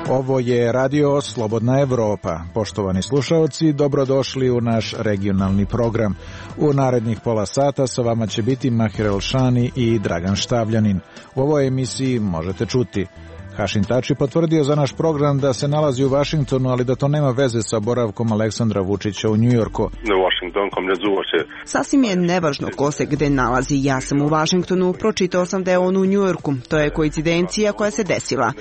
Ovo je Radio Slobodna Evropa. Poštovani slušaoci, dobrodošli u naš regionalni program. U narednih pola sata sa vama će biti Mahir Elšani i Dragan Štavljanin. U ovoj emisiji možete čuti: Hašim Tači potvrdio za naš program da se nalazi u Vašingtonu, ali da to nema veze sa boravkom Aleksandra Vučića u Njujorku. Sasvim je nevažno ko se gde nalazi. Ja sam u Vašingtonu, pročitao sam da je on u Njujorku. To je koincidencija koja se desila.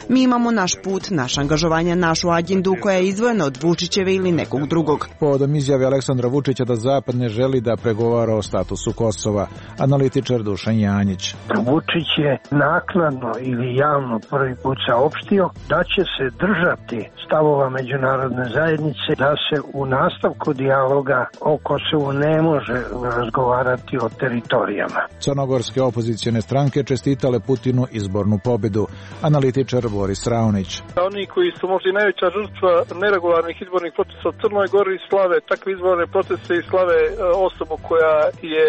Mi imamo naš put, naš angažovanje, našu agendu koja je izdvojena od Vučićeve ili nekog drugog. Povodom izjave Aleksandra Vučića da Zapad ne želi da pregovara o statusu Kosova, analitičar Dušan Janjić. Vučić je naknadno ili javno prvi put saopštio da će se držati stavova međunarodne zajednice, da se u nastavku dijaloga o Kosovu ne može razgovarati o teritorijama. Crnogorske opozicijone stranke čestitale Putinu izbornu pobedu. Analitičar Boris Raonić. Oni koji su možda i najveća žrtva neregularnih izbornih procesa u Crnoj Gori slave takve izborne procese i slave osobu koja je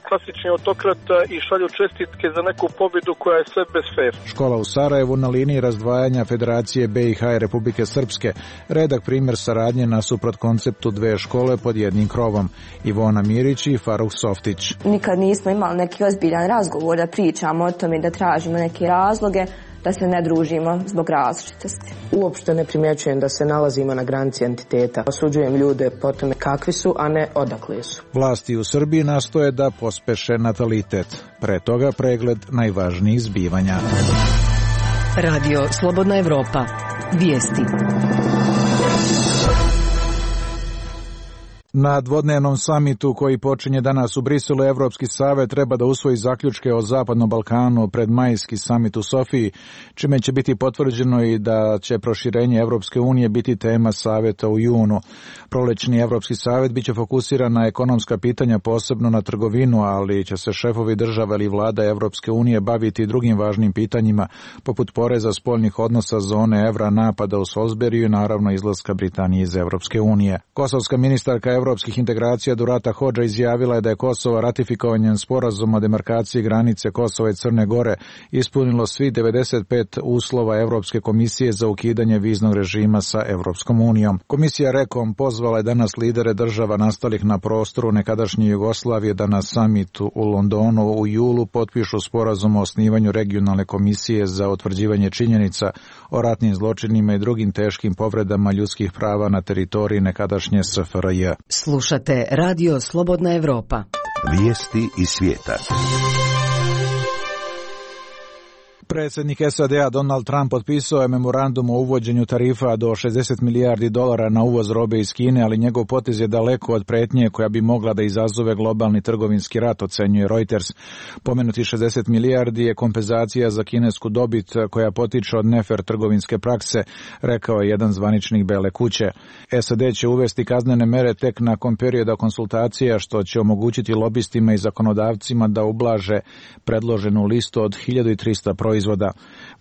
klasični autokrata i šalju čestitke za neku pobedu koja je sve bez fer. Škola u Sarajevu na liniji razdvajanja Federacije BiH i Republike Srpske. Redak primjer saradnje nasuprot konceptu dve škole pod jednim krovom. Ivona Mirić i Faruk Softić. Nikad nismo imali neki ozbiljan razgovor da pričamo o tome, da tražimo neke razloge, da se ne družimo zbog različitosti. Uopšte ne primjećujem da se nalazimo na granici entiteta. Osuđujem ljude po tome kakvi su, a ne odakle su. Vlasti u Srbiji nastoje da pospeše natalitet. Pre toga pregled najvažnijih zbivanja. Radio Slobodna Evropa. Vijesti. Na dvodnevnom samitu koji počinje danas u Briselu, Evropski savet treba da usvoji zaključke o Zapadnom Balkanu pred majski samit u Sofiji, čime će biti potvrđeno i da će proširenje Evropske unije biti tema saveta u junu. Prolećni Evropski savet biće fokusiran na ekonomska pitanja, posebno na trgovinu, ali će se šefovi država ili vlada Evropske unije baviti drugim važnim pitanjima, poput poreza, spoljnih odnosa, zone evra, napada u Salisburiju i naravno izlaska Britanije iz Evropske unije. Kosovska ministarka evropskih integracija Durata Hodža izjavila je da je Kosovo ratifikovanjem sporazuma o demarkaciji granice Kosova i Crne Gore ispunilo svih 95 uslova Evropske komisije za ukidanje viznog režima sa Evropskom unijom. Komisija REKOM pozvala je danas lidere država nastalih na prostoru nekadašnje Jugoslavije da na samitu u Londonu u julu potpišu sporazum o osnivanju regionalne komisije za utvrđivanje činjenica o ratnim zločinima i drugim teškim povredama ljudskih prava na teritoriji nekadašnje SFRJ. Slušate Radio Slobodna Evropa. Vijesti iz svijeta. Predsjednik SAD-a Donald Trump potpisao je memorandum o uvođenju tarifa do $60 milijardi na uvoz robe iz Kine, ali njegov potez je daleko od pretnje koja bi mogla da izazove globalni trgovinski rat, ocenjuje Reuters. Pomenuti 60 milijardi je kompenzacija za kinesku dobit koja potiče od nefer trgovinske prakse, rekao je jedan zvaničnik Bele kuće. SAD će uvesti kaznene mere tek nakon perioda konsultacija, što će omogućiti lobistima i zakonodavcima da ublaže predloženu listu od 1300 proizvoda.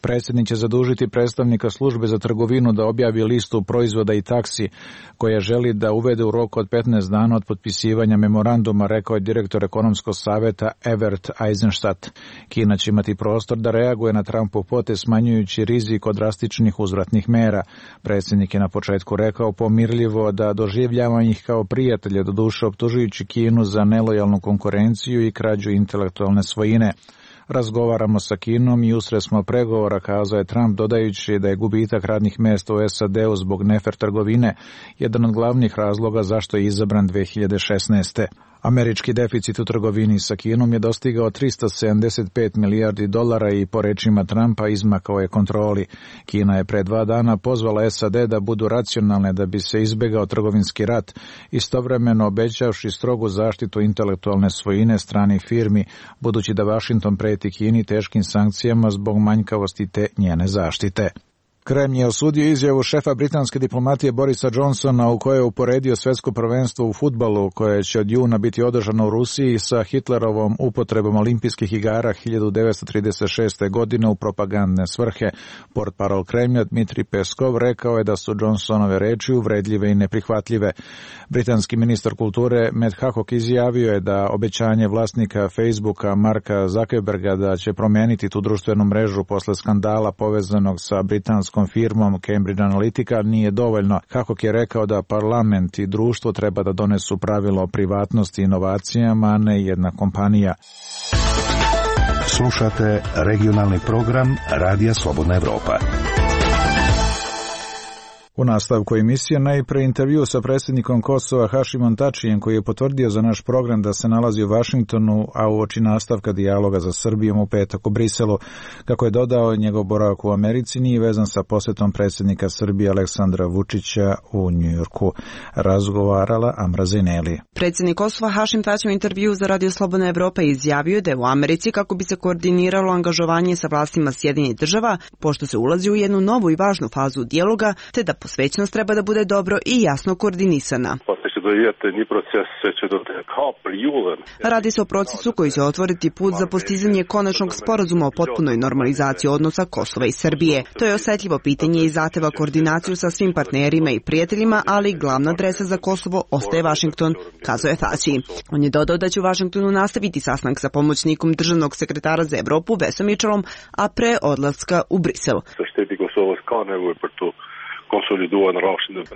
Predsjednik će zadužiti predstavnika službe za trgovinu da objavi listu proizvoda i taksi koje želi da uvede u roku od 15 dana od potpisivanja memoranduma, rekao je direktor ekonomskog saveta Evert Eisenstadt. Kina će imati prostor da reaguje na Trumpov potez smanjujući rizik od drastičnih uzvratnih mera. Predsjednik je na početku rekao pomirljivo da doživljava ih kao prijatelje, doduše optužujući Kinu za nelojalnu konkurenciju i krađu intelektualne svojine. Razgovaramo sa Kinom i usred smo pregovora, kazao je Trump, dodajući da je gubitak radnih mjesta u SAD-u zbog nefer trgovine jedan od glavnih razloga zašto je izabran 2016. Američki deficit u trgovini sa Kinom je dostigao $375 milijardi i po rečima Trumpa izmakao je kontroli. Kina je pre 2 dana pozvala SAD da budu racionalne da bi se izbegao trgovinski rat, istovremeno obećavši strogu zaštitu intelektualne svojine stranih firmi, budući da Washington preti Kini teškim sankcijama zbog manjkavosti te njene zaštite. Kremlj je osudio izjavu šefa britanske diplomatije Borisa Johnsona u kojoj je uporedio svjetsko prvenstvo u fudbalu koje će od juna biti održano u Rusiji sa Hitlerovom upotrebom olimpijskih igara 1936. godine u propagandne svrhe. Portparol Kremlja Dmitrij Peskov rekao je da su Johnsonove reči uvredljive i neprihvatljive. Britanski ministar kulture Matt Hancock izjavio je da obećanje vlasnika Facebooka Marka Zuckerberga da će promijeniti tu društvenu mrežu posle skandala povezanog sa britanskom firmom Cambridge Analytica nije dovoljno. Hancock je rekao da parlament i društvo treba da donesu pravilo o privatnosti i inovacijama, a ne jedna kompanija. Slušate regionalni program Radija Slobodna Evropa. U nastavku emisije najpre intervju sa predsjednikom Kosova Hašimom Tačijem, koji je potvrdio za naš program da se nalazi u Vašingtonu, a uoči nastavka dijaloga za Srbijom u petak u Briselu. Kako je dodao, njegov boravak u Americi nije vezan sa posjetom predsjednika Srbije Aleksandra Vučića u Njujorku. Razgovarala Amra Zeneli. Predsjednik Kosova Hašim Tači u intervju za Radio Slobodna Evropa izjavio da je u Americi kako bi se koordiniralo angažovanje sa vlastima Sjedinjenih Država, pošto se ulazi u jednu novu i važnu fazu dijaloga, te da posvećenost treba da bude dobro i jasno koordinisana. Radi se o procesu koji će otvoriti put za postizanje konačnog sporazuma o potpunoj normalizaciji odnosa Kosova i Srbije. To je osetljivo pitanje i zahteva koordinaciju sa svim partnerima i prijateljima, ali glavna adresa za Kosovo ostaje Vašington, kazao je Tači. On je dodao da će u Vašingtonu nastaviti sastanak sa pomoćnikom državnog sekretara za Evropu Vesom Mitchellom, a pre odlaska u Brisel.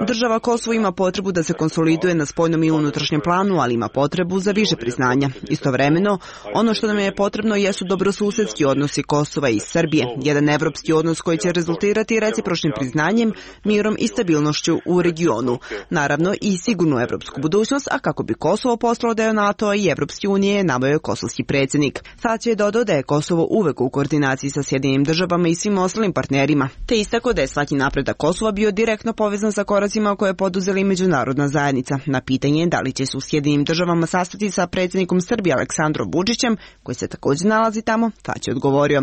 Država Kosovo ima potrebu da se konsoliduje na spoljnom i unutrašnjem planu, ali ima potrebu za više priznanja. Istovremeno, ono što nam je potrebno jesu dobrosusedski odnosi Kosova i Srbije, jedan evropski odnos koji će rezultirati recipročnim priznanjem, mirom i stabilnošću u regionu. Naravno i sigurnu evropsku budućnost, a kako bi Kosovo postalo deo NATO-a i Evropske unije, naveo je kosovski predsjednik. Tači je dodao da je Kosovo uvek u koordinaciji sa Sjedinjenim Državama i svim ostalim partnerima, te istakao da je svaki napredak Kosova bio direktno povezan sa koracima koje je poduzela i međunarodna zajednica. Na pitanje da li će se u Sjedinjenim Državama sastati sa predsjednikom Srbije Aleksandrom Vučićem, koji se također nalazi tamo, Tači je odgovorio.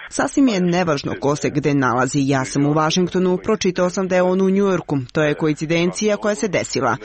Sasvim je nevažno ko se gde nalazi. Ja sam u Vašingtonu, pročitao sam da je on u Njujorku. To je koincidencija koja se desila.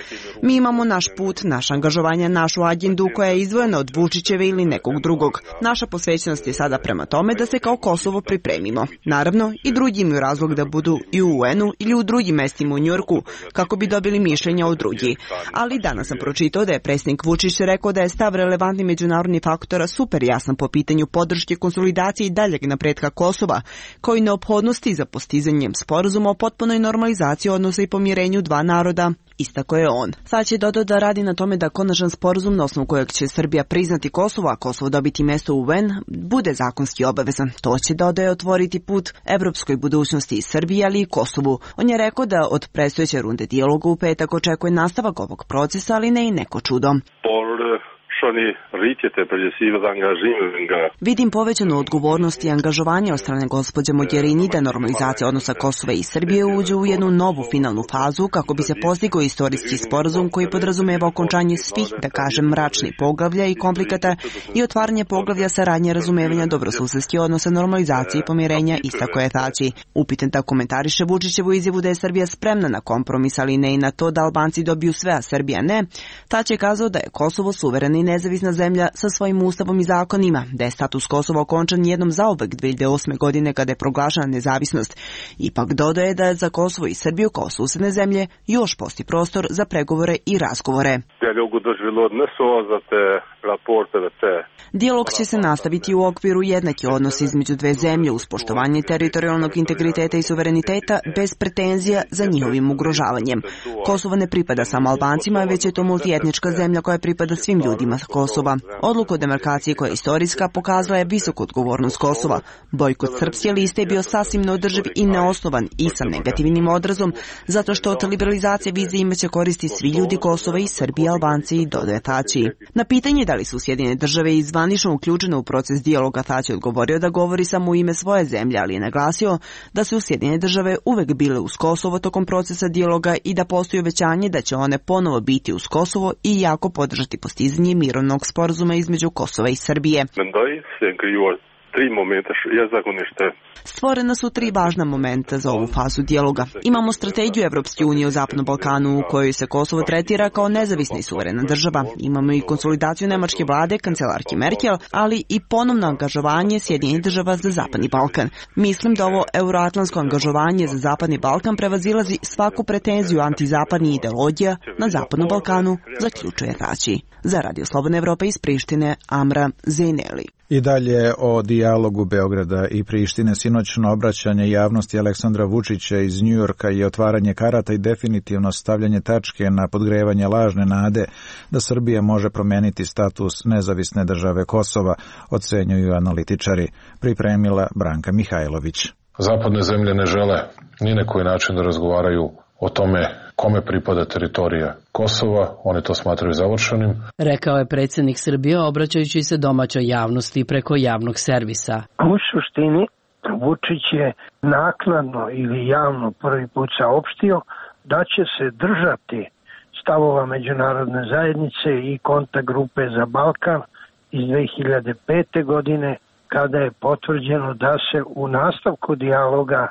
Mi imamo naš put, naše angažovanje, našu agendu koja je izdvojena od Vučićeve ili nekog drugog. Naša posvećenost je sada prema tome da se kao Kosovo pripremimo. Naravno, i drugi imaju razlog da budu i u UN-u ili u drugim mestima u Njujorku, kako bi dobili mišljenja od drugih. Ali danas sam pročitao da je predsjednik Vučić rekao da je stav relevantnih međunarodnih faktora super jasan po pitanju podrške konsolidacije i daljeg napretka Kosova, kao i neophodnosti za postizanjem sporazuma o potpunoj normalizaciji odnosa i pomirenju dva naroda, istako je on. Sad će dodao da radi na tome da konačan sporazum na osnovu kojeg će Srbija priznati Kosovo, a Kosovo dobiti mesto u UN, bude zakonski obavezan. To će, dodaje, otvoriti put evropskoj budućnosti i Srbiji, ali i Kosovu. On je rekao da od predstojeće runde dijaloga u petak očekuje nastavak ovog procesa, ali ne i neko čudo. Vidim povećanu odgovornost i angažovanje od strane gospođe Mogherini da normalizacija odnosa Kosova i Srbije uđe u jednu novu finalnu fazu kako bi se postigao istorijski sporazum koji podrazumeva okončanje svih, da kažem, mračnih poglavlja i komplikata i otvaranje poglavlja saradnje, razumevanja, dobrosusedskih odnosa, normalizacije i pomirenja, istako je Tači. Upitan da komentariše Vučićevu izjavu da je Srbija spremna na kompromis, ali ne i na to da Albanci dobiju sve, a Srbija ne, Tači je kazao da je Kosovo suverena i nezavisna zemlja sa svojim ustavom i zakonima, da je status Kosova okončan jednom zauvek 2008. godine kada je proglašena nezavisnost. Ipak dodaje da je za Kosovo i Srbiju kao susedne zemlje još postoji prostor za pregovore i razgovore. Dijalog će se nastaviti u okviru jednaki odnos između dve zemlje uz poštovanje teritorijalnog integriteta i suvereniteta bez pretenzija za njihovim ugrožavanjem. Kosovo ne pripada samo Albancima, već je to multietnička zemlja koja pripada svim ljudima Kosova. Odluka o demarkaciji koja je istorijska pokazala je visoku odgovornost Kosova. Bojkot srpske liste je bio sasvim neodrživ i neosnovan i sa negativnim odrazom, zato što od liberalizacije vize imaće koristi svi ljudi Kosova i Srbije i Albanci, dodaje Tači. Na pitanje da li su Sjedinjene države i zvanično uključene u proces dijaloga, Tači odgovorio da govori samo u ime svoje zemlje, ali je naglasio da su Sjedinjene države uvek bile uz Kosovo tokom procesa dijaloga i da postoji obećanje da će one ponovo biti uz Kosovo i jako podržati postizanje mirovnog sporazuma između Kosova i Srbije. Stvorena su 3 važna momenta za ovu fazu dijaloga. Imamo strategiju Evropske unije o Zapadnom Balkanu u kojoj se Kosovo tretira kao nezavisna i suverena država. Imamo i konsolidaciju nemačke vlade, kancelarke Merkel, ali i ponovno angažovanje Sjedinjenih država za Zapadni Balkan. Mislim da ovo euroatlantsko angažovanje za Zapadni Balkan prevazilazi svaku pretenziju antizapadnih ideologija na Zapadnom Balkanu, zaključuje Tači. Za Radio Slobodna Evropa iz Prištine, Amra Zeyneli. I dalje o dijalogu Beograda i Prištine. Sinoćno obraćanje javnosti Aleksandra Vučića iz Njujorka je otvaranje karata i definitivno stavljanje tačke na podgrevanje lažne nade da Srbija može promeniti status nezavisne države Kosova, ocenjuju analitičari. Pripremila Branka Mihajlović. Zapadne zemlje ne žele ni na koji način da razgovaraju o tome kome pripada teritorija Kosova, oni to smatraju završenim. Rekao je predsjednik Srbije obraćajući se domaćoj javnosti preko javnog servisa. U suštini Vučić je naknadno ili javno prvi put saopštio da će se držati stavova međunarodne zajednice i kontakt grupe za Balkan iz 2005. godine, kada je potvrđeno da se u nastavku dijaloga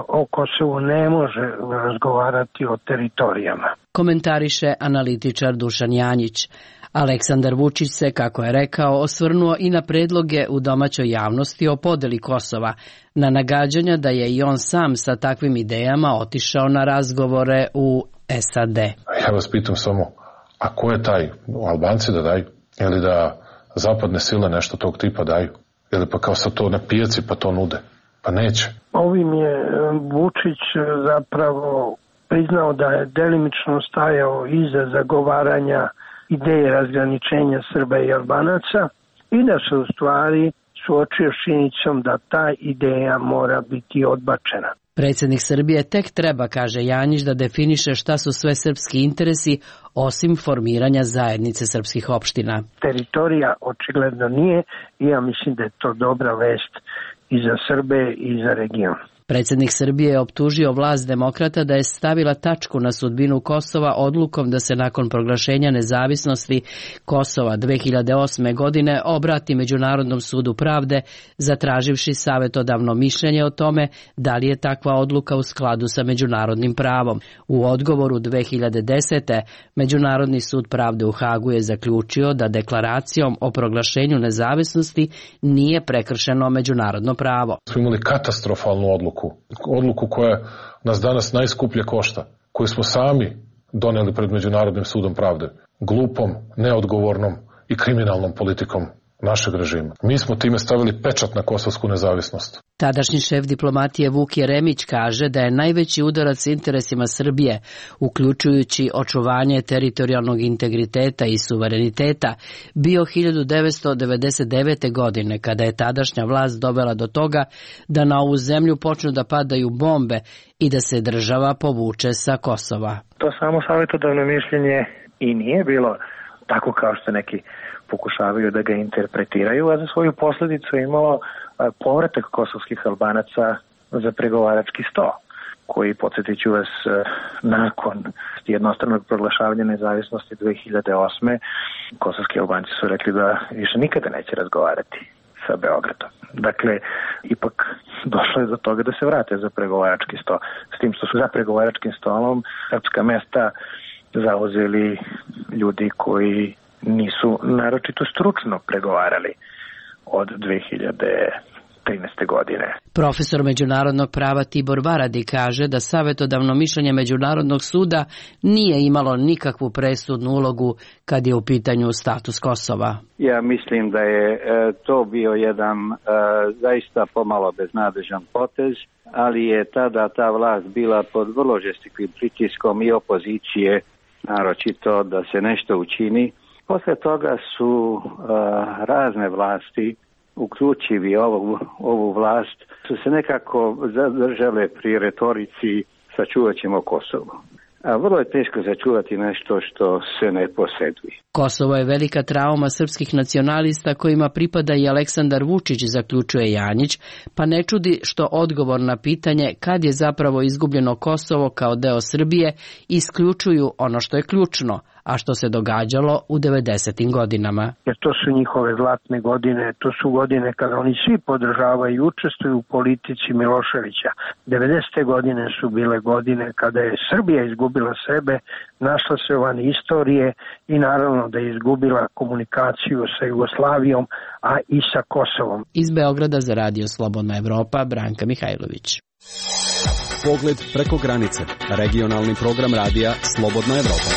o Kosovu ne može razgovarati o teritorijama. Komentariše analitičar Dušan Janjić. Aleksandar Vučić se, kako je rekao, osvrnuo i na predloge u domaćoj javnosti o podeli Kosova, na nagađanja da je i on sam sa takvim idejama otišao na razgovore u SAD. Ja vas pitam samo, a ko je taj? Albanci da daju? Ili da zapadne sile nešto tog tipa daju? Ili pa kao sad to na pijaci pa to nude? Pa neće. Ovim je Vučić zapravo priznao da je delimično stajao iza zagovaranja ideje razgraničenja Srba i Albanaca i da se u stvari suočio s činjenicom da ta ideja mora biti odbačena. Predsjednik Srbije tek treba, kaže Janjić, da definiše šta su sve srpski interesi osim formiranja zajednice srpskih opština. Teritorija očigledno nije i ja mislim da je to dobra vest i za Srbe i za region. Predsjednik Srbije je optužio vlast demokrata da je stavila tačku na sudbinu Kosova odlukom da se nakon proglašenja nezavisnosti Kosova 2008. godine obrati Međunarodnom sudu pravde, zatraživši savjetodavno mišljenje o tome da li je takva odluka u skladu sa međunarodnim pravom. U odgovoru 2010. Međunarodni sud pravde u Hagu je zaključio da deklaracijom o proglašenju nezavisnosti nije prekršeno međunarodno pravo. Smo imali katastrofalnu odluku koja nas danas najskuplje košta, koju smo sami doneli pred Međunarodnim sudom pravde, glupom, neodgovornom i kriminalnom politikom našeg režima. Mi smo time stavili pečat na kosovsku nezavisnost. Tadašnji šef diplomatije Vuk Jeremić kaže da je najveći udarac interesima Srbije, uključujući očuvanje teritorijalnog integriteta i suvereniteta, bio 1999. godine, kada je tadašnja vlast dovela do toga da na ovu zemlju počnu da padaju bombe i da se država povuče sa Kosova. To samo savjetodavno mišljenje i nije bilo tako kao što neki pokušavaju da ga interpretiraju, a za svoju posljedicu imalo povratak kosovskih Albanaca za pregovarački sto, koji, podsjetit ću vas, nakon jednostranog proglašavanja nezavisnosti 2008. kosovski Albanci su rekli da više nikada neće razgovarati sa Beogradom. Dakle, ipak došlo je do toga da se vrate za pregovarački sto. S tim što su za pregovaračkim stolom srpska mesta zauzeli ljudi koji nisu naročito stručno pregovarali od 2013. godine. Profesor međunarodnog prava Tibor Varadi kaže da savjetodavno mišljenje Međunarodnog suda nije imalo nikakvu presudnu ulogu kad je u pitanju status Kosova. Ja mislim da je to bio jedan zaista pomalo beznadežan potez, ali je tada ta vlast bila pod vrlo žestikim pritiskom i opozicije, naročito da se nešto učini. Posle toga su razne vlasti, uključivi ovu vlast, su se nekako zadržale pri retorici sačuvat ćemo Kosovo. a vrlo je teško začuvati nešto što se ne posjeduje. Kosovo je velika trauma srpskih nacionalista kojima pripada i Aleksandar Vučić, zaključuje Janjić, pa ne čudi što odgovor na pitanje kad je zapravo izgubljeno Kosovo kao deo Srbije isključuju ono što je ključno, a što se događalo u 90. godinama. Jer to su njihove zlatne godine, to su godine kada oni svi podržavaju i učestvuju u politici Miloševića. 90. godine su bile godine kada je Srbija izgubila sebe, našla se van istorije i naravno da je izgubila komunikaciju sa Jugoslavijom, a i sa Kosovom. Iz Beograda za Radio Slobodna Evropa, Branka Mihajlović. Pogled preko granice. Regionalni program radija Slobodna Evropa.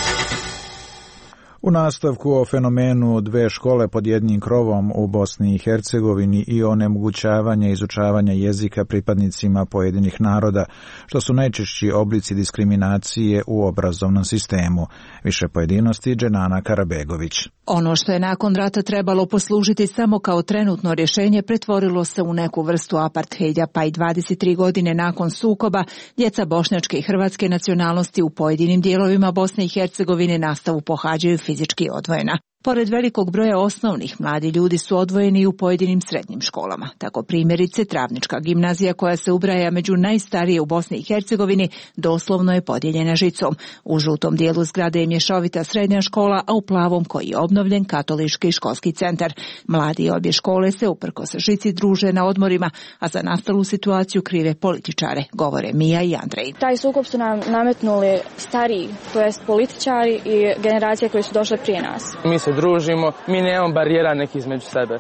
U nastavku o fenomenu dve škole pod jednim krovom u Bosni i Hercegovini i onemogućavanja izučavanja jezika pripadnicima pojedinih naroda, što su najčešći oblici diskriminacije u obrazovnom sistemu. Više pojedinosti Dženana Karabegović. Ono što je nakon rata trebalo poslužiti samo kao trenutno rješenje pretvorilo se u neku vrstu aparthejda, pa i 23 godine nakon sukoba djeca bošnjačke i hrvatske nacionalnosti u pojedinim dijelovima Bosne i Hercegovine nastavu pohađaju fizički odvojena. Pored velikog broja osnovnih, mladi ljudi su odvojeni i u pojedinim srednjim školama. Tako primjerice Travnička gimnazija, koja se ubraja među najstarije u Bosni i Hercegovini, doslovno je podijeljena žicom. U žutom dijelu zgrade je mješovita srednja škola, a u plavom, koji je obnovljen, katolički školski centar. Mladi obje škole se uprkos žici druže na odmorima, a za nastalu situaciju krive političare, govore Mija i Andrej. Taj sukob su nam nametnuli stariji, to jest političari i generacije koje su došle prije nas. Mi se družimo, mi nemamo barijera neki između sebe.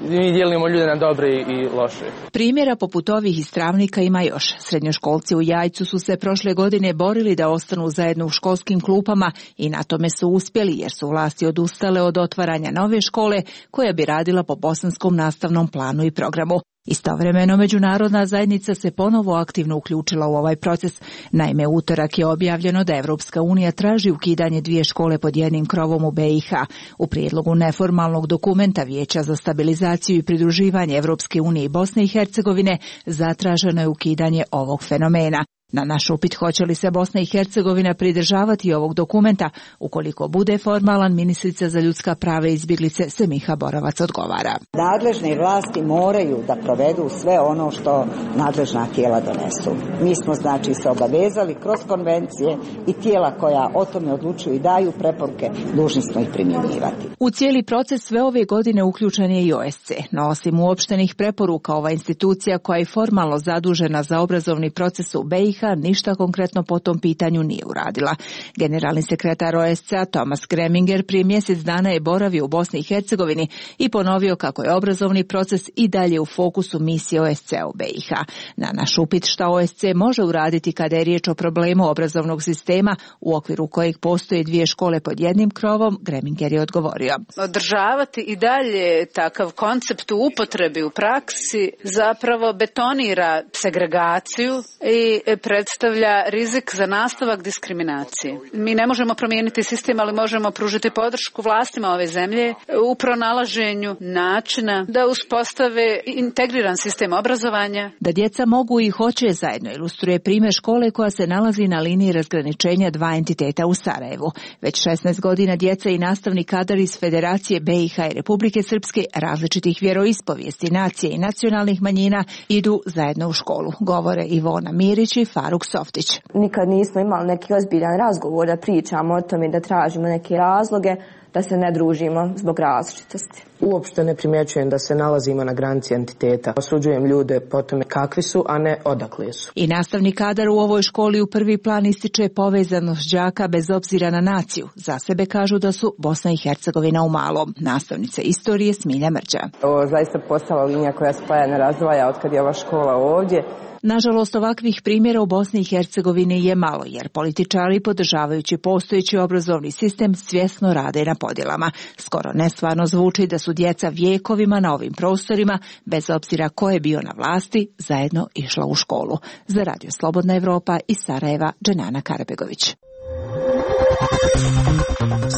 Mi dijelimo ljude na dobre i loše. Primjera poput ovih iz Travnika ima još. Srednjoškolci u Jajcu su se prošle godine borili da ostanu zajedno u školskim klupama i na tome su uspjeli, jer su vlasti odustale od otvaranja nove škole koja bi radila po bosanskom nastavnom planu i programu. Istovremeno međunarodna zajednica se ponovo aktivno uključila u ovaj proces. Naime, utorak je objavljeno da Evropska unija traži ukidanje dvije škole pod jednim krovom u BiH. U prijedlogu neformalnog dokumenta Vijeća za stabilizaciju i pridruživanje Evropske unije i Bosne i Hercegovine zatraženo je ukidanje ovog fenomena. Na naš upit hoće li se Bosna i Hercegovina pridržavati ovog dokumenta, ukoliko bude formalan, ministrica za ljudska prava i izbjeglice Semiha Borovac odgovara. Nadležne vlasti moraju da provedu sve ono što nadležna tijela donesu. Mi smo znači se obavezali kroz konvencije i tijela koja o tome odlučuju i daju preporuke, dužni smo ih primjenjivati. U cijeli proces sve ove godine uključen je i OSCE, no osim uopštenih preporuka, ova institucija koja je formalno zadužena za obrazovni proces u BiH ništa konkretno po tom pitanju nije uradila. Generalni sekretar OSCE-a Thomas Greminger prije mjesec dana je boravio u Bosni i Hercegovini i ponovio kako je obrazovni proces i dalje u fokusu misije OSCE-a u BiH. Na naš upit šta OSCE može uraditi kada je riječ o problemu obrazovnog sistema u okviru kojeg postoje dvije škole pod jednim krovom, Greminger je odgovorio. Održavati i dalje takav koncept u upotrebi u praksi zapravo betonira segregaciju i predstavlja rizik za nastavak diskriminacije. Mi ne možemo promijeniti sistem, ali možemo pružiti podršku vlastima ove zemlje u pronalaženju načina da uspostave integriran sistem obrazovanja. Da djeca mogu i hoće zajedno ilustruje primjer škole koja se nalazi na liniji razgraničenja dva entiteta u Sarajevu. Već 16 godina djeca i nastavni kadar iz Federacije BiH i Republike Srpske različitih vjeroispovijesti, nacije i nacionalnih manjina idu zajedno u školu, govore Ivona Mirić i Faruk Softić. Nikad nismo imali neki ozbiljan razgovor da pričamo o tome, da tražimo neke razloge, da se ne družimo zbog različitosti. Uopšte ne primjećujem da se nalazimo na granici entiteta. Osuđujem ljude po tome kakvi su, a ne odakle su. I nastavni kadar u ovoj školi u prvi plan ističe povezanost đaka bez obzira na naciju. Za sebe kažu da su Bosna i Hercegovina u malom. Nastavnica istorije Smilja Mrđa. Ovo zaista postala linija koja spaja ne razdvaja od kad je ova škola ovdje. Nažalost, ovakvih primjera u Bosni i Hercegovini je malo, jer političari, podržavajući postojeći obrazovni sistem, svjesno rade na podjelama. Skoro nestvarno zvuči da su djeca vjekovima na ovim prostorima, bez obzira ko je bio na vlasti, zajedno išla u školu. Za Radio Slobodna Evropa iz Sarajeva, Dženana Karabegović.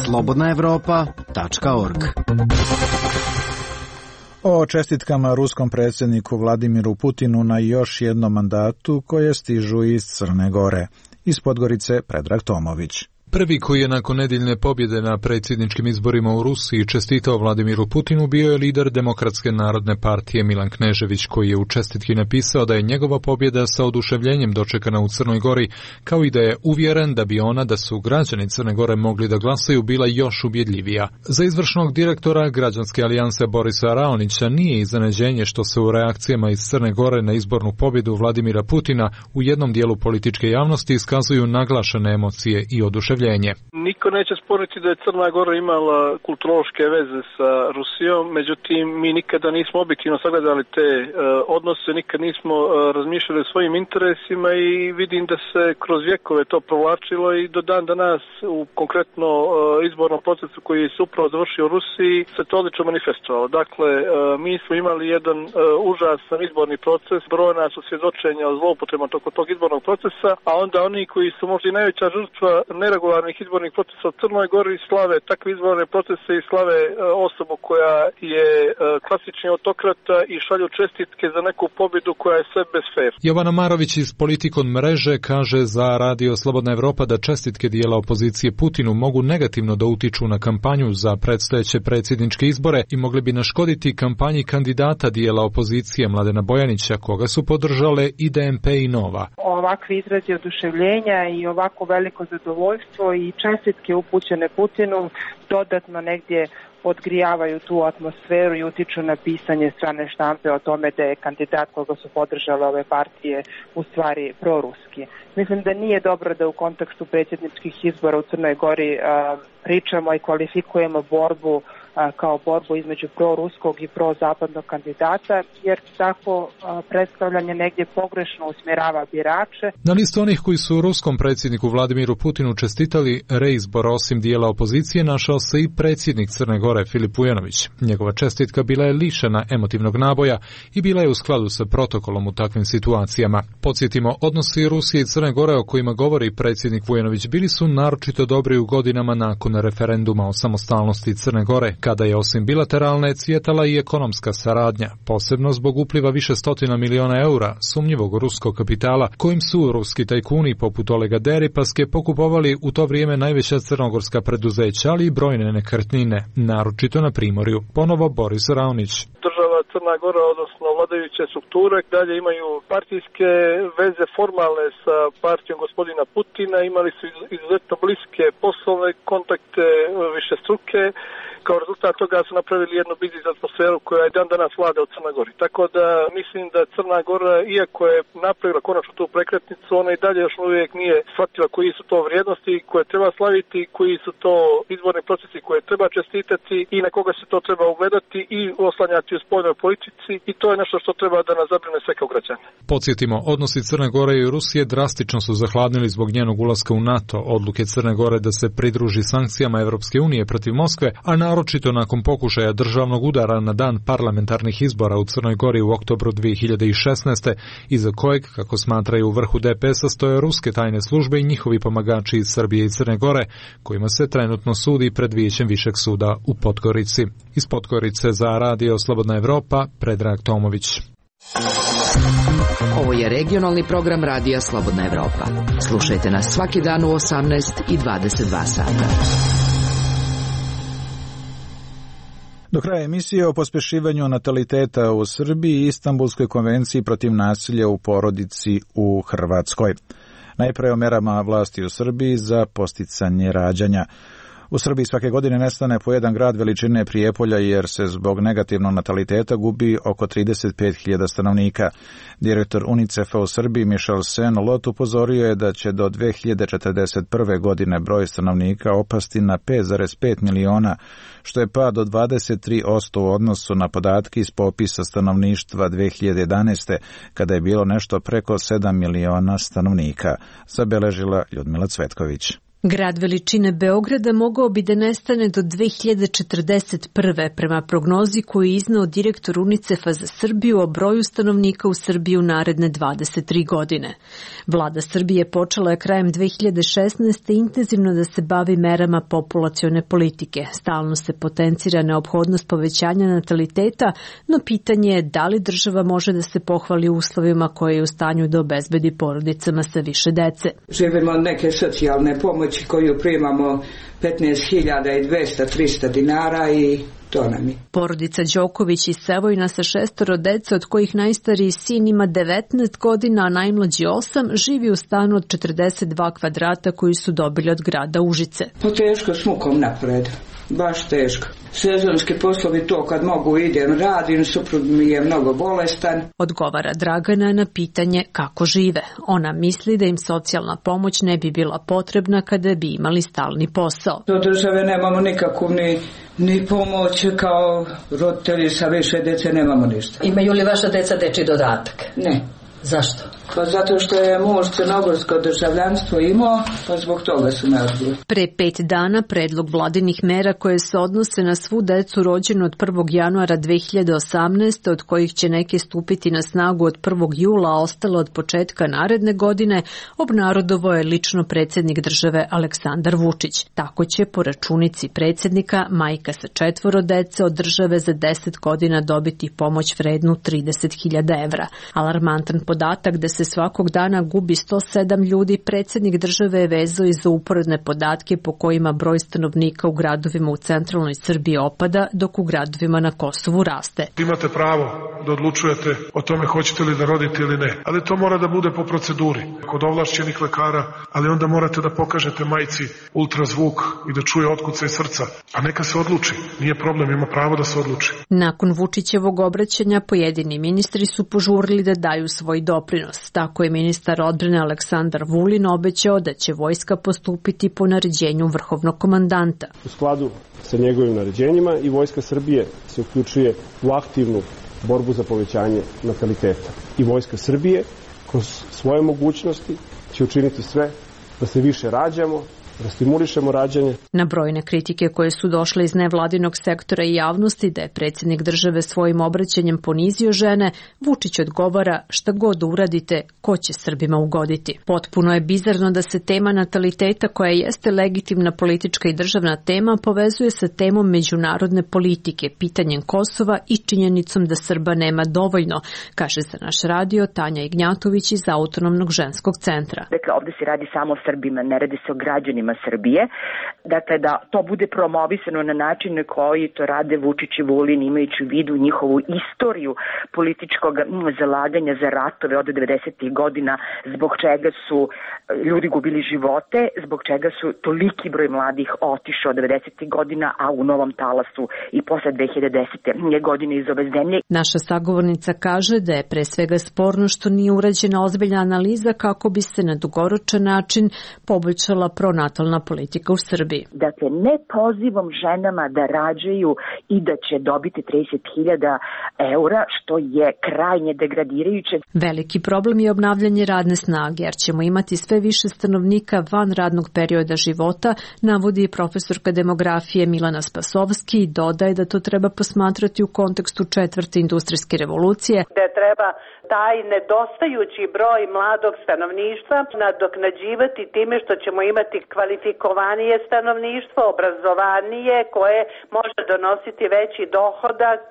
slobodnaevropa.org. O čestitkama ruskom predsjedniku Vladimiru Putinu na još jednom mandatu koje stižu iz Crne Gore. Iz Podgorice Predrag Tomović. Prvi koji je nakon nedjeljne pobjede na predsjedničkim izborima u Rusiji čestitao Vladimiru Putinu bio je lider Demokratske narodne partije Milan Knežević, koji je u čestitki napisao da je njegova pobjeda sa oduševljenjem dočekana u Crnoj Gori, kao i da je uvjeren da bi ona, da su građani Crne Gore mogli da glasaju, bila još ubjedljivija. Za izvršnog direktora Građanske alijanse Borisa Raonića nije iznenađenje što se u reakcijama iz Crne Gore na izbornu pobjedu Vladimira Putina u jednom dijelu političke javnosti iskazuju naglašene emocije i oduševljenje. Niko neće sporiti da je Crna Gora imala kulturološke veze sa Rusijom, međutim mi nikada nismo objektivno sagledali te odnose, nikad nismo razmišljali o svojim interesima i vidim da se kroz vjekove to provlačilo i do dan danas u konkretno izbornom procesu koji se upravo završio u Rusiji se to odlično manifestovalo. Dakle, mi smo imali jedan užasan izborni proces, brojna su svjedočenja o zloupotrebama tog izbornog procesa, a onda oni koji su možda i najveća žrtva neregularnih izbornih procesa u Crnoj Gori slave takve izborne procese i slave osobu koja je klasični autokrata i šalju čestitke za neku pobjedu koja je sve bez fer. Jovana Marović iz Politikon mreže kaže za Radio Slobodna Evropa da čestitke dijela opozicije Putinu mogu negativno da utiču na kampanju za predstojeće predsjedničke izbore i mogli bi naškoditi kampanji kandidata dijela opozicije Mladena Bojanića, koga su podržale i DNP i Nova. Ovakvi izrazi oduševljenja i ovako veliko zadovoljstvo i čestitke upućene Putinu dodatno negdje odgrijavaju tu atmosferu i utiču na pisanje strane štampe o tome da je kandidat koga su podržale ove partije u stvari proruski. Mislim da nije dobro da u kontekstu predsjedničkih izbora u Crnoj Gori pričamo i kvalifikujemo borbu kao borbu između proruskog i prozapadnog kandidata, jer tako predstavljanje negdje pogrešno usmjerava birače. Na listu onih koji su ruskom predsjedniku Vladimiru Putinu čestitali reizbor osim dijela opozicije našao se i predsjednik Crne Gore Filip Vujanović. Njegova čestitka bila je lišena emotivnog naboja i bila je u skladu sa protokolom u takvim situacijama. Podsjetimo, odnosi Rusije i Crne Gore o kojima govori predsjednik Vujanović bili su naročito dobri u godinama nakon referenduma o samostalnosti Crne Gore, kada je osim bilateralne cvjetala i ekonomska saradnja, posebno zbog upliva više stotina miliona eura sumnjivog ruskog kapitala, kojim su ruski tajkuni poput Olega Deripaske pokupovali u to vrijeme najveća crnogorska preduzeća, ali i brojne nekretnine, naročito na Primorju. Ponovo Boris Raonić. Država Crna Gora, odnosno vladajuće strukture, dalje imaju partijske veze formalne sa partijom gospodina Putina, imali su izuzetno bliske poslovne kontakte, višestruke. Kao rezultat toga su napravili jednu biznis atmosferu koja je dan danas vlada u Crnoj Gori. Tako da mislim da Crna Gora, iako je napravila konačno tu prekretnicu, ona i dalje još uvijek nije shvatila koji su to vrijednosti koje treba slaviti, koji su to izborni procesi koje treba čestitati i na koga se to treba ugledati i oslanjati u spoljnoj politici, i to je nešto što treba da nas zabrine sve kao građane. Podsjetimo, odnosi Crne Gore i Rusije drastično su zahladnili zbog njenog ulaska u NATO, odluke Crne Gore da se pridruži sankcijama Evropske unije protiv Moskve, a naročito nakon pokušaja državnog udara na dan parlamentarnih izbora u Crnoj Gori u oktobru 2016. iza kojeg, kako smatraju u vrhu DPS-a, stoje ruske tajne službe i njihovi pomagači iz Srbije i Crne Gore, kojima se trenutno sudi pred Vijećem Višeg suda u Podgorici. Iz Podgorice za Radio Slobodna Evropa, Predrag Tomović. Ovo je regionalni program Radija Slobodna Evropa. Slušajte nas svaki dan u 18 i 22 sata. Do kraja emisije o pospješivanju nataliteta u Srbiji i Istanbulskoj konvenciji protiv nasilja u porodici u Hrvatskoj. Najprije o merama vlasti u Srbiji za posticanje rađanja. U Srbiji svake godine nestane po jedan grad veličine Prijepolja jer se zbog negativnog nataliteta gubi oko 35.000 stanovnika. Direktor UNICEF-a u Srbiji Michel Sen-Lot upozorio je da će do 2041. godine broj stanovnika opasti na 5,5 miliona, što je pad od 23% u odnosu na podatke iz popisa stanovništva 2011. kada je bilo nešto preko 7 miliona stanovnika, zabeležila Ljudmila Cvetković. Grad veličine Beograda mogao bi da nestane do 2041. prema prognozi koju je izneo direktor UNICEF-a za Srbiju o broju stanovnika u Srbiji u naredne 23 godine. Vlada Srbije počela je krajem 2016. intenzivno da se bavi merama populacione politike. Stalno se potencira neophodnost povećanja nataliteta, no pitanje je da li država može da se pohvali uslovima koje je u stanju da obezbedi porodicama sa više dece. Živimo od neke socijalne pomoći koju primamo 15.200-300 dinara i to nam je. Porodica Đoković iz Sevojna sa 6 dece, od kojih najstariji sin ima 19 godina, a najmlađi 8, živi u stanu od 42 kvadrata koji su dobili od grada Užice. Teško s mukom napred, baš teško. Sezonski poslovi to kad mogu idem radim, suprug mi je mnogo bolestan. Odgovara Dragana na pitanje kako žive. Ona misli da im socijalna pomoć ne bi bila potrebna kada bi imali stalni posao. Do države nemamo nikakvu ni pomoć, kao roditelji sa više dece nemamo ništa. Imaju li vaša deca dečji dodatak? Ne. Zašto? Pa zato što je muž crnogorsko državljanstvo imao, pa zbog toga su me odbili. Pre 5 dana predlog vladinih mera koje se odnose na svu decu rođenu od 1. januara 2018. od kojih će neke stupiti na snagu od 1. jula, a ostalo od početka naredne godine, obnarodovao je lično predsjednik države Aleksandar Vučić. Tako će po računici predsjednika majka sa 4 dece od države za 10 godina dobiti pomoć vrednu 30.000 evra. Alarmantan podatak da se svakog dana gubi 107 ljudi, predsjednik države je vezao i za uporedne podatke po kojima broj stanovnika u gradovima u centralnoj Srbiji opada, dok u gradovima na Kosovu raste. Imate pravo da odlučujete o tome hoćete li da rodite ili ne, ali to mora da bude po proceduri, kod ovlašćenih lekara, ali onda morate da pokažete majci ultrazvuk i da čuje otkucaj srca, a neka se odluči, nije problem, ima pravo da se odluči. Nakon Vučićevog obraćanja pojedini ministri su požurili da daju svoj doprinos. Tako je ministar odbrane Aleksandar Vulin obećao da će vojska postupiti po naređenju vrhovnog komandanta. U skladu sa njegovim naređenjima i Vojska Srbije se uključuje u aktivnu borbu za povećanje nataliteta. I Vojska Srbije kroz svoje mogućnosti će učiniti sve da se više rađamo, da stimulišemo rađanje. Na brojne kritike koje su došle iz nevladinog sektora i javnosti da je predsjednik države svojim obraćanjem ponizio žene, Vučić odgovara šta god uradite, ko će Srbima ugoditi. Potpuno je bizarno da se tema nataliteta, koja jeste legitimna politička i državna tema, povezuje sa temom međunarodne politike, pitanjem Kosova i činjenicom da Srba nema dovoljno, kaže za naš radio Tanja Ignjatović iz Autonomnog ženskog centra. Dakle, ovde se radi samo o Srbima, ne radi se o građanima Srbije, dakle da to bude promovisano na način na koji to rade Vučić i Vulin, imajući u vidu njihovu istoriju političkog zalaganja za ratove od 90. godina, zbog čega su ljudi gubili živote, zbog čega su toliki broj mladih otišao od 90. godina, a u novom talasu i posle 2010. godine iz ove zemlje. Naša sagovornica kaže da je pre svega sporno što nije urađena ozbiljna analiza kako bi se na dugoročan način poboljšala pronatalna politika u Srbiji. Dakle, ne pozivom ženama da rađaju i da će dobiti 30.000 eura, što je krajnje degradirajuće. Veliki problem je obnavljanje radne snage, jer ćemo imati sve više stanovnika van radnog perioda života, navodi profesorka demografije Milana Spasovski i dodaje da to treba posmatrati u kontekstu 4. industrijske revolucije. Da treba taj nedostajući broj mladog stanovništva nadoknađivati time što ćemo imati kvalifikovanije stanovništvo, obrazovanije, koje može donositi veći dohodak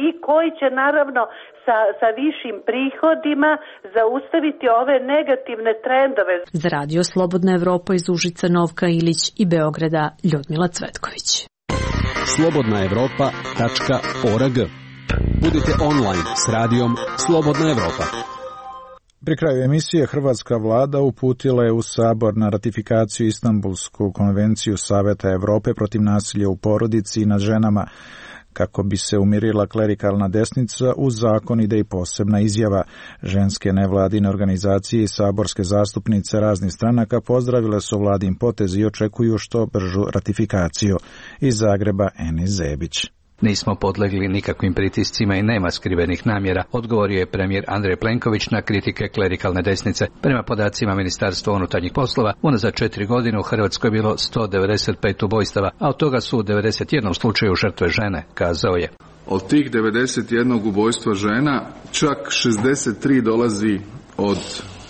i koji će naravno sa višim prihodima zaustaviti ove negativne trendove. Za radio Slobodna Evropa iz Užica, Novka Ilić i Beograda, Ljudmila Cvetković. slobodnaevropa.org. Budite online s radijom Slobodna Evropa. Pri kraju emisije hrvatska vlada uputila je u Sabor na ratifikaciju Istanbulsku konvenciju Saveta Evrope protiv nasilja u porodici i nad ženama. Kako bi se umirila klerikalna desnica, u zakon ide i posebna izjava. Ženske nevladine organizacije i saborske zastupnice raznih stranaka pozdravile su vladin potez i očekuju što bržu ratifikaciju. Iz Zagreba Enis Zebić. Nismo podlegli nikakvim pritiscima i nema skrivenih namjera, odgovorio je premijer Andrej Plenković na kritike klerikalne desnice. Prema podacima Ministarstva unutarnjih poslova, unazad 4 godine u Hrvatskoj je bilo 195 ubojstava, a od toga su u 91 slučaju žrtve žene, kazao je. Od tih 91 ubojstva žena, čak 63 dolazi od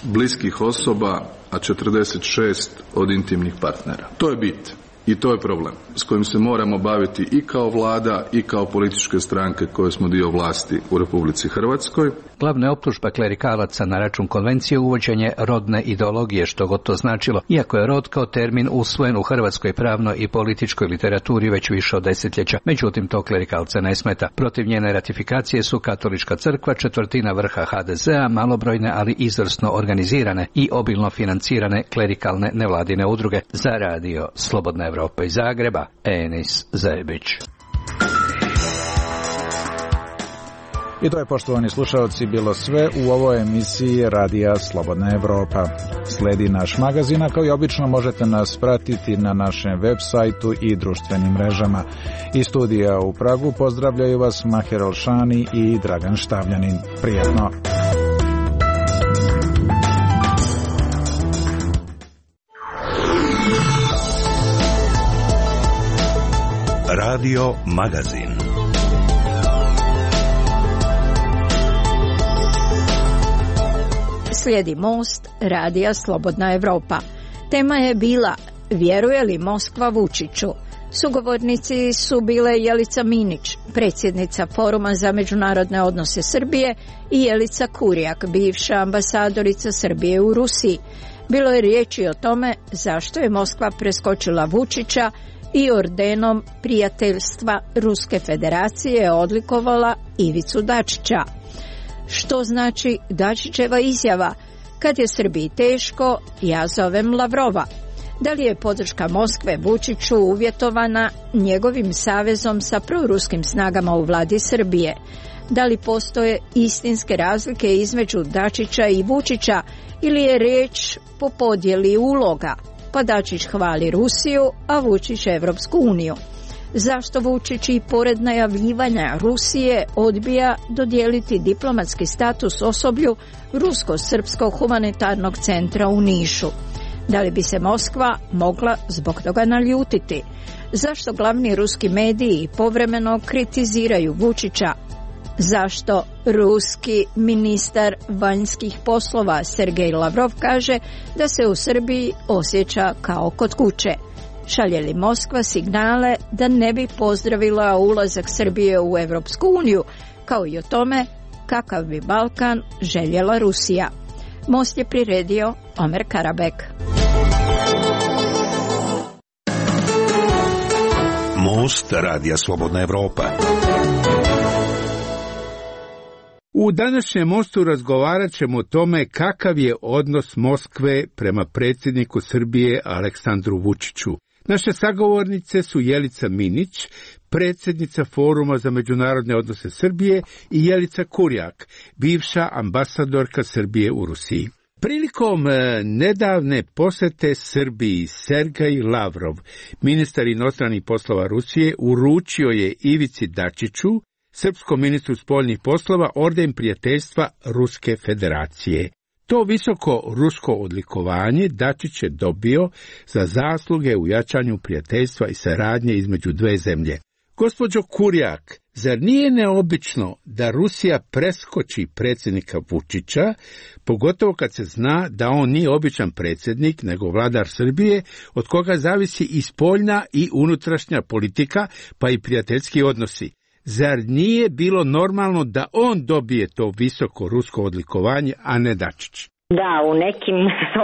bliskih osoba, a 46 od intimnih partnera. To je bit. I to je problem s kojim se moramo baviti i kao vlada i kao političke stranke koje smo dio vlasti u Republici Hrvatskoj. Glavna je optužba klerikalaca na račun konvencije uvođenje rodne ideologije, što god to značilo, iako je rod kao termin usvojen u hrvatskoj pravnoj i političkoj literaturi već više od desetljeća. Međutim, to klerikalce ne smeta. Protiv njene ratifikacije su Katolička crkva, četvrtina vrha HDZ-a, malobrojne ali izvrsno organizirane i obilno financirane klerikalne nevladine udruge. Za radio Slobodna Evropa iz Zagreba, Enis Zebić. I to je, poštovani slušalci, bilo sve u ovoj emisiji Radija Slobodna Evropa. Sledi naš magazin, a kao i obično možete nas pratiti na našem web sajtu i društvenim mrežama. Iz studija u Pragu pozdravljaju vas Maher Olšani i Dragan Štavljanin. Prijetno! Radio Magazin. Slijedi Most, Radija Slobodna Evropa. Tema je bila vjeruje li Moskva Vučiću? Sugovornici su bile Jelica Minić, predsjednica Foruma za međunarodne odnose Srbije, i Jelica Kurjak, bivša ambasadorica Srbije u Rusiji. Bilo je riječi o tome zašto je Moskva preskočila Vučića i ordenom prijateljstva Ruske federacije odlikovala Ivicu Dačića. Što znači Dačićeva izjava: kad je Srbiji teško, ja zovem Lavrova? Da li je podrška Moskve Vučiću uvjetovana njegovim savezom sa proruskim snagama u vladi Srbije? Da li postoje istinske razlike između Dačića i Vučića ili je riječ po podjeli uloga? Pa Dačić hvali Rusiju, a Vučić Evropsku uniju. Zašto Vučić i pored najavljivanja Rusije odbija dodijeliti diplomatski status osoblju Rusko-srpskog humanitarnog centra u Nišu? Da li bi se Moskva mogla zbog toga naljutiti? Zašto glavni ruski mediji povremeno kritiziraju Vučića? Zašto ruski ministar vanjskih poslova Sergej Lavrov kaže da se u Srbiji osjeća kao kod kuće? Šalje li Moskva signale da ne bi pozdravila ulazak Srbije u Evropsku uniju, kao i o tome kakav bi Balkan željela Rusija? Most je priredio Omer Karabek. Most, Radija Slobodna Evropa. U današnjem Mostu razgovarat ćemo o tome kakav je odnos Moskve prema predsjedniku Srbije Aleksandru Vučiću. Naše sagovornice su Jelica Minić, predsjednica Foruma za međunarodne odnose Srbije, i Jelica Kurjak, bivša ambasadorka Srbije u Rusiji. Prilikom nedavne posjete Srbiji, Sergej Lavrov, ministar inostranih poslova Rusije, uručio je Ivici Dačiću, srpskom ministru spoljnih poslova, orden prijateljstva Ruske federacije. To visoko rusko odlikovanje Dačić je dobio za zasluge u jačanju prijateljstva i saradnje između dve zemlje. Gospođo Kurjak, zar nije neobično da Rusija preskoči predsjednika Vučića, pogotovo kad se zna da on nije običan predsjednik, nego vladar Srbije, od koga zavisi i spoljna i unutrašnja politika, pa i prijateljski odnosi? Zar nije bilo normalno da on dobije to visoko rusko odlikovanje, a ne Dačić? Da, u nekim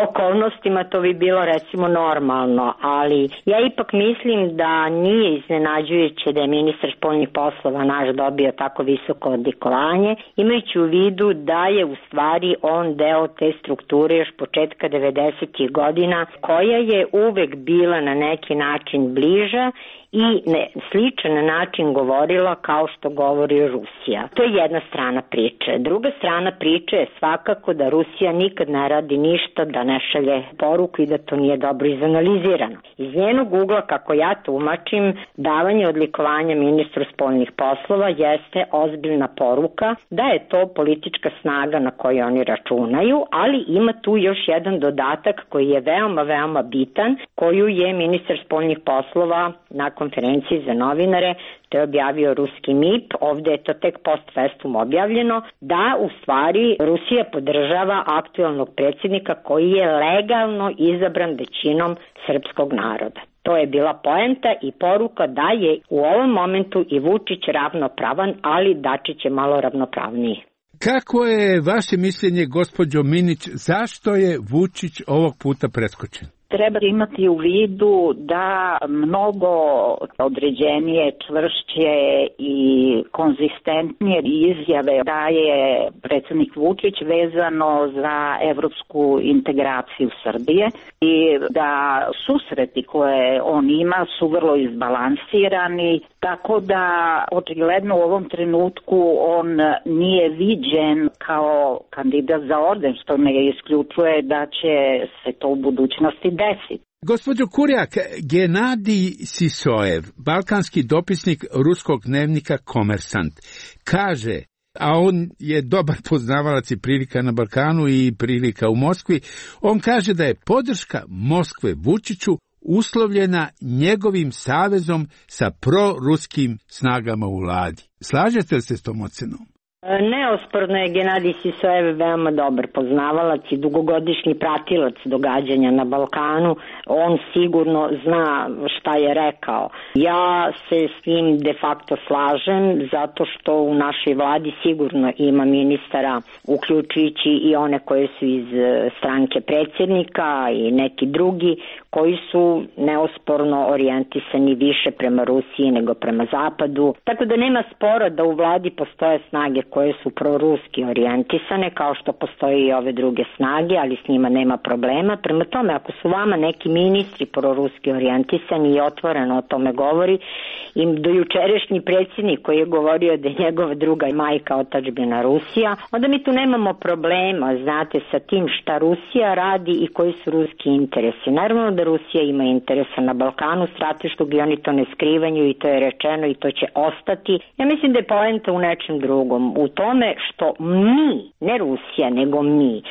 okolnostima to bi bilo recimo normalno, ali ja ipak mislim da nije iznenađujuće da je ministar spoljnih poslova naš dobio tako visoko odlikovanje, imajući u vidu da je u stvari on deo te strukture još početka 90. godina, koja je uvek bila na neki način bliža i na sličan način govorila kao što govori Rusija. To je jedna strana priče. Druga strana priče je svakako da Rusija nikad ne radi ništa da ne šalje poruku i da to nije dobro izanalizirano. Iz njenog ugla, kako ja tumačim, davanje odlikovanja ministru spoljnih poslova jeste ozbiljna poruka da je to politička snaga na koju oni računaju, ali ima tu još jedan dodatak koji je veoma bitan, koju je ministar spoljnih poslova na konferenciji za novinare, to je objavio ruski MIP, ovde je to tek post festum objavljeno, da u stvari Rusija podržava aktualnog predsjednika koji je legalno izabran većinom srpskog naroda. To je bila poenta i poruka da je u ovom momentu i Vučić ravnopravan, ali Dačić je malo ravnopravniji. Kako je vaše mišljenje, gospođo Minić, zašto je Vučić ovog puta preskočen? Treba imati u vidu da mnogo određenije, čvršće i konzistentnije izjave daje predsjednik Vučić vezano za evropsku integraciju Srbije i da susreti koje on ima su vrlo izbalansirani, tako da očigledno u ovom trenutku on nije viđen kao kandidat za orden, što ne isključuje da će se to u budućnosti desiti. Gospođo Kurjak, Genadij Sisojev, balkanski dopisnik ruskog dnevnika Komersant, kaže, a on je dobar poznavalac i prilika na Balkanu i prilika u Moskvi, on kaže da je podrška Moskve Vučiću uslovljena njegovim savezom sa proruskim snagama u vladi. Slažete li se s tom ocenom? Neosporno je Genadij Sisojev veoma dobar poznavalac i dugogodišnji pratilac događanja na Balkanu. On sigurno zna šta je rekao. Ja se s njim de facto slažem zato što u našoj vladi sigurno ima ministara, uključujući i one koje su iz stranke predsjednika i neki drugi, koji su neosporno orijentisani više prema Rusiji nego prema Zapadu. Tako da nema spora da u vladi postoje snage koje su proruski orijentisane, kao što postoje i ove druge snage, ali s njima nema problema. Prema tome, ako su vama neki ministri proruski orijentisani i otvoreno o tome govori, i dojučerašnji predsjednik koji je govorio da je njegova druga majka otadžbina Rusija, onda mi tu nemamo problema, znate, sa tim šta Rusija radi i koji su ruski interesi. Naravno da Rusija ima interesa na Balkanu strateškog i oni to ne skrivaju i to je rečeno i to će ostati. Ja mislim da je poenta u nečem drugom, u tome što mi, ne Rusija, nego mi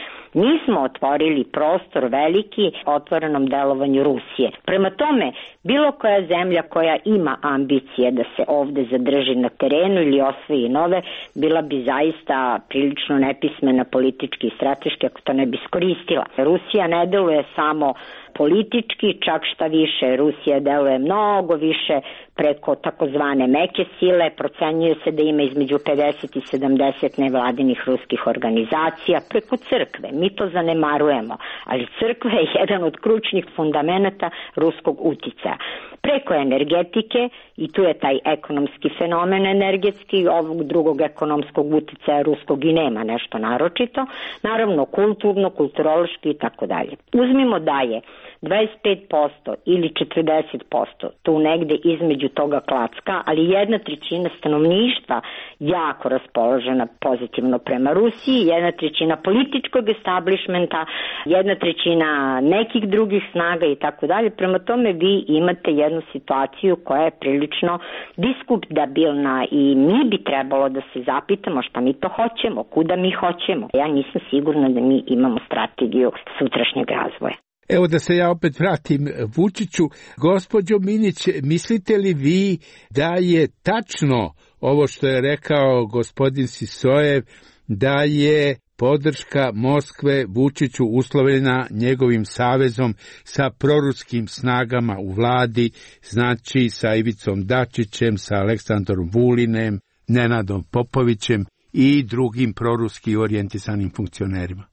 smo otvorili prostor veliki otvorenom delovanju Rusije. Prema tome, bilo koja zemlja koja ima ambicije da se ovde zadrži na terenu ili osvoji nove, bila bi zaista prilično nepismena politički i strateški ako to ne bi iskoristila. Rusija ne deluje samo politički, čak šta više, Rusija deluje mnogo više preko takozvane meke sile, procenjuje se da ima između 50 i 70 nevladinih ruskih organizacija, preko crkve. Mi to zanemarujemo, ali crkva je jedan od kručnih fundamenata ruskog uticaja. Preko energetike, i tu je taj ekonomski fenomen energetski, ovog drugog ekonomskog uticaja ruskog i nema nešto naročito, naravno kulturno, kulturološki i tako dalje. Uzmimo da je 25% ili 40%, tu negde između toga klacka, ali 1/3 stanovništva jako raspoložena pozitivno prema Rusiji, 1/3 političkog establishmenta, 1/3 nekih drugih snaga i tako dalje. Prema tome vi imate jednu situaciju koja je prilično diskutabilna i mi bi trebalo da se zapitamo šta mi to hoćemo, kuda mi hoćemo. Ja nisam sigurna da mi imamo strategiju sutrašnjeg razvoja. Evo da se ja opet vratim Vučiću. Gospođo Minić, mislite li vi da je tačno ovo što je rekao gospodin Sisojev, da je podrška Moskve Vučiću uslovljena njegovim savezom sa proruskim snagama u vladi, znači sa Ivicom Dačićem, sa Aleksandrom Vulinem, Nenadom Popovićem i drugim proruski orijentisanim funkcionerima?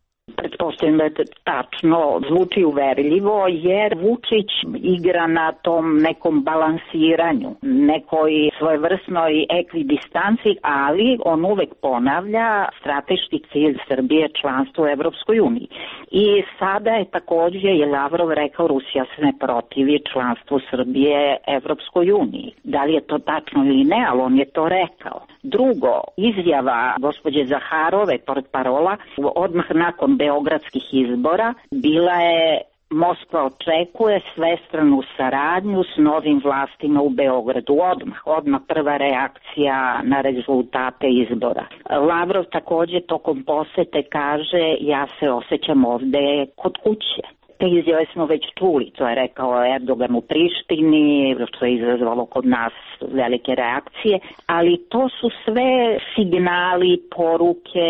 Mislim da je tačno, zvuči uverljivo, jer Vučić igra na tom nekom balansiranju, nekoj svojevrsnoj ekvidistanci, ali on uvek ponavlja strateški cilj Srbije članstvo u Evropskoj uniji. I sada je takođe je Lavrov rekao Rusija se ne protivi članstvu Srbije Evropskoj uniji. Da li je to tačno ili ne, ali on je to rekao. Drugo, izjava gospođe Zaharove, portparola, odmah nakon beogradskih izbora bila je: Moskva očekuje svestranu saradnju s novim vlastima u Beogradu. Odmah prva reakcija na rezultate izbora. Lavrov takođe tokom posete kaže: ja se osjećam ovde kod kuće. Te izjave smo već čuli, to je rekao Erdogan u Prištini, što je izazvalo kod nas velike reakcije, ali to su sve signali, poruke,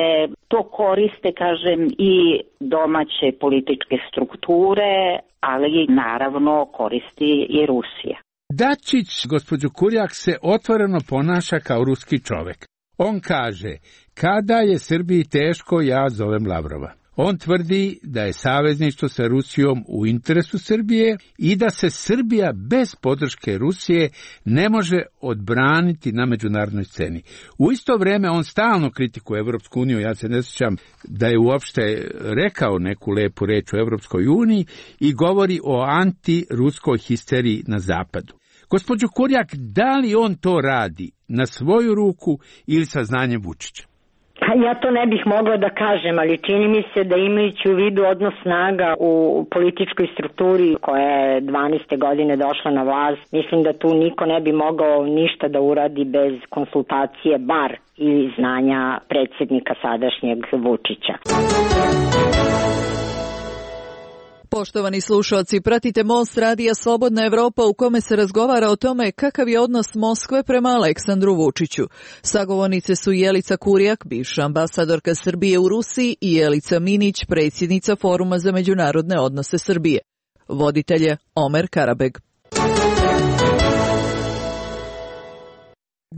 to koriste, kažem, i domaće političke strukture, ali naravno koristi i Rusija. Dačić, gospođo Kurjak, se otvoreno ponaša kao ruski čovek. On kaže: kada je Srbiji teško, ja zovem Lavrova. On tvrdi da je savezništvo sa Rusijom u interesu Srbije i da se Srbija bez podrške Rusije ne može odbraniti na međunarodnoj sceni. U isto vreme on stalno kritikuje Evropsku uniju, ja se ne sjećam da je uopšte rekao neku lepu reč o Evropskoj uniji i govori o antiruskoj histeriji na zapadu. Gospođo Kurjak, da li on to radi na svoju ruku ili sa znanjem Vučića? Ja to ne bih mogla da kažem, ali čini mi se da imajući u vidu odnos snaga u političkoj strukturi koja je 12. godine došla na vlast, mislim da tu niko ne bi mogao ništa da uradi bez konsultacije, bar ili znanja predsjednika sadašnjeg Vučića. Poštovani slušalci, pratite Most radija Slobodna Evropa u kome se razgovara o tome kakav je odnos Moskve prema Aleksandru Vučiću. Sagovornice su Jelica Kurjak, bivša ambasadorka Srbije u Rusiji, i Jelica Minić, predsjednica Foruma za međunarodne odnose Srbije. Voditelj je Omer Karabeg.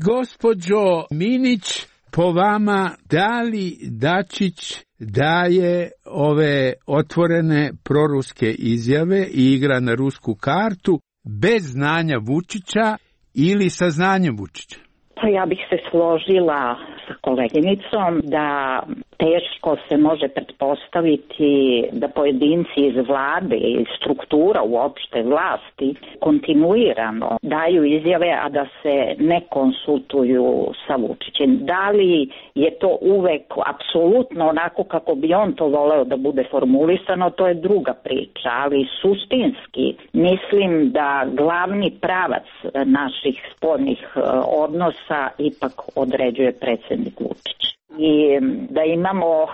Gospođo Minić, po vama, da li Dačić daje ove otvorene proruske izjave i igra na rusku kartu bez znanja Vučića ili sa znanjem Vučića? Pa ja bih se složila sa koleginicom da teško se može pretpostaviti da pojedinci iz vlade i struktura uopšte vlasti kontinuirano daju izjave, a da se ne konsultuju sa Vučićem. Da li je to uvek apsolutno onako kako bi on to voleo da bude formulisano, to je druga priča, ali suštinski mislim da glavni pravac naših spoljnih odnosa ipak određuje predsjednik Vučić. I da imamo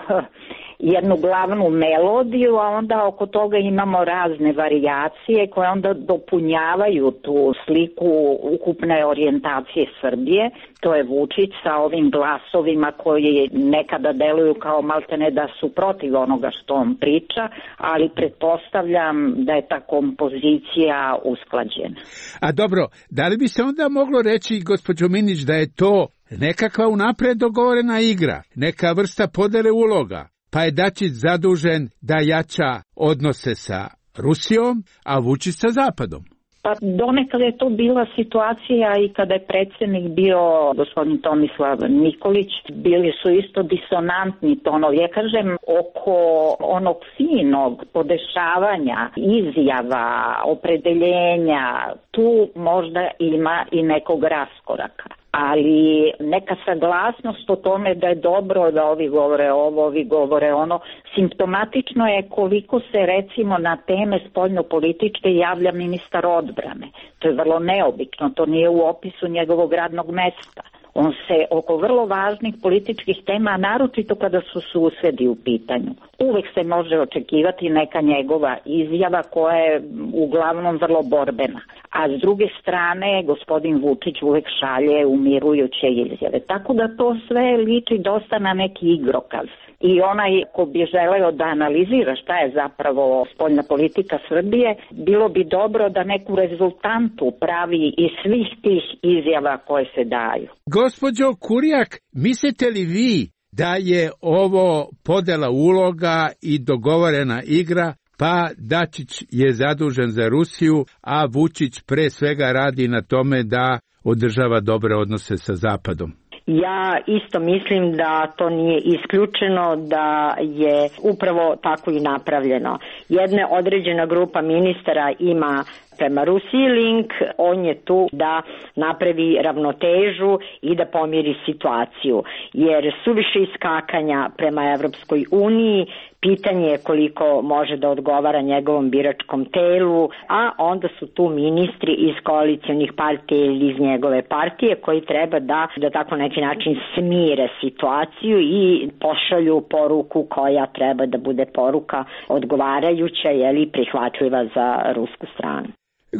jednu glavnu melodiju, a onda oko toga imamo razne varijacije koje onda dopunjavaju tu sliku ukupne orijentacije Srbije. To je Vučić sa ovim glasovima koji nekada deluju kao maltene da su protiv onoga što on priča, ali pretpostavljam da je ta kompozicija usklađena. A dobro, da li bi se onda moglo reći, gospođo Minić, da je to nekakva unapred dogovorena igra, neka vrsta podele uloga, pa je Dačić zadužen da jača odnose sa Rusijom, a Vučić sa Zapadom? Pa donekad je to bila situacija i kada je predsjednik bio gospodin Tomislav Nikolić, bili su isto disonantni tonovi. Ja kažem, oko onog finog podešavanja, izjava, opredeljenja, tu možda ima i nekog raskoraka. Ali neka saglasnost o tome da je dobro da ovi govore ovo, ovi govore ono, simptomatično je koliko se recimo na teme spoljnopolitičke javlja ministar odbrane. To je vrlo neobično, to nije u opisu njegovog radnog mesta. On se oko vrlo važnih političkih tema, naročito kada su susedi u pitanju, uvek se može očekivati neka njegova izjava koja je uglavnom vrlo borbena. A s druge strane, gospodin Vučić uvek šalje umirujuće izjave. Tako da to sve liči dosta na neki igrokaz. I onaj ko bi želeo da analizira šta je zapravo spoljna politika Srbije, bilo bi dobro da neku rezultantu pravi iz svih tih izjava koje se daju. Gospođo Kurjak, mislite li vi da je ovo podela uloga i dogovorena igra, pa Dačić je zadužen za Rusiju, a Vučić pre svega radi na tome da održava dobre odnose sa Zapadom. Ja isto mislim da to nije isključeno, da je upravo tako i napravljeno. Jedna određena grupa ministara ima prema Rusiji link, on je tu da napravi ravnotežu i da pomiri situaciju. Jer suviše iskakanja prema Evropskoj uniji, pitanje je koliko može da odgovara njegovom biračkom telu, a onda su tu ministri iz koalicijonih partija ili iz njegove partije koji treba da tako neki način smire situaciju i pošalju poruku koja treba da bude poruka odgovarajuća ili prihvatljiva za rusku stranu.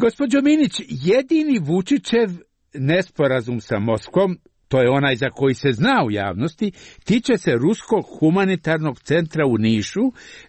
Gospođo Minić, jedini Vučićev nesporazum sa Moskvom, to je onaj za koji se zna u javnosti, tiče se Ruskog humanitarnog centra u Nišu,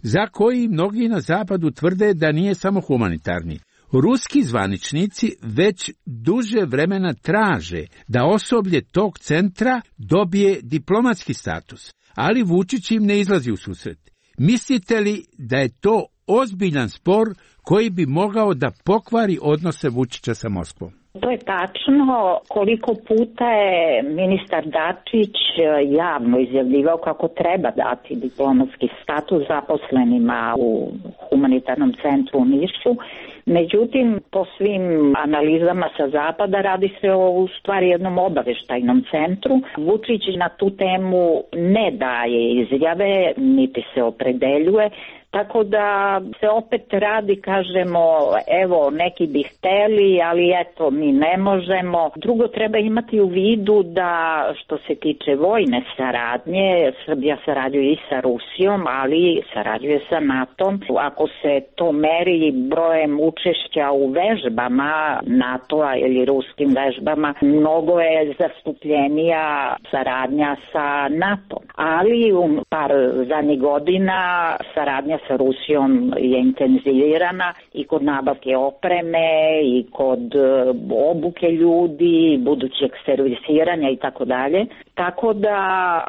za koji mnogi na zapadu tvrde da nije samo humanitarni. Ruski zvaničnici već duže vremena traže da osoblje tog centra dobije diplomatski status, ali Vučić im ne izlazi u susret. Mislite li da je to ozbiljan spor koji bi mogao da pokvari odnose Vučića sa Moskvom? To je tačno. Koliko puta je ministar Dačić javno izjavljivao kako treba dati diplomatski status zaposlenima u humanitarnom centru u Nišu. Međutim, po svim analizama sa zapada radi se o u stvari jednom obaveštajnom centru. Vučić na tu temu ne daje izjave, niti se opredeljuje. Tako da se opet radi, kažemo, evo neki bi hteli, ali eto mi ne možemo. Drugo, treba imati u vidu da što se tiče vojne saradnje, Srbija sarađuje i sa Rusijom, ali sarađuje sa NATO-om. Ako se to meri brojem učešća u vežbama NATO-a ili ruskim vežbama, mnogo je zastupljenija saradnja sa NATO-om. Ali u par zadnjih godina saradnja sa Rusijom je intenzivirana i kod nabavke opreme i kod obuke ljudi, budućeg servisiranja i tako dalje. Tako da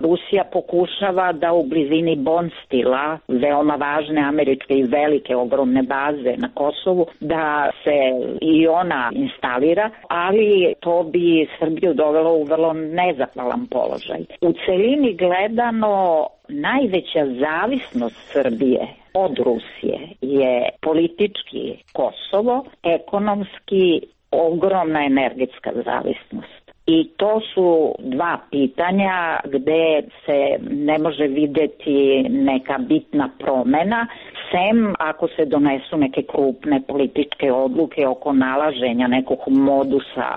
Rusija pokušava da u blizini Bonstila, veoma važne američke i velike ogromne baze na Kosovu, da se i ona instalira, ali to bi Srbiju dovelo u vrlo nezahvalan položaj. U celini gledano, najveća zavisnost Srbije od Rusije je politički Kosovo, ekonomski ogromna energetska zavisnost. I to su dva pitanja gde se ne može videti neka bitna promena, sem ako se donesu neke krupne političke odluke oko nalaženja nekog modusa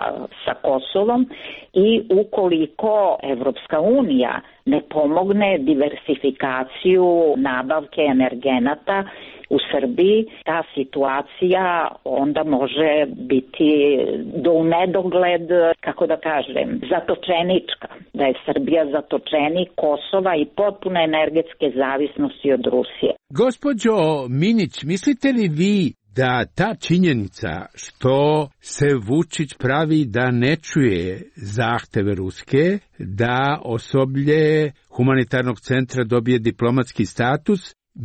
sa Kosovom i ukoliko Evropska unija ne pomogne diversifikaciju nabavke energenata u Srbiji, ta situacija onda može biti do u nedogled, kako da kažem, zatočenička, da je Srbija zatočenik Kosova i potpune energetske zavisnosti od Rusije. Gospođo Minić, mislite li vi da ta činjenica što se Vučić pravi da ne čuje zahteve Ruske, da osoblje humanitarnog centra dobije diplomatski status,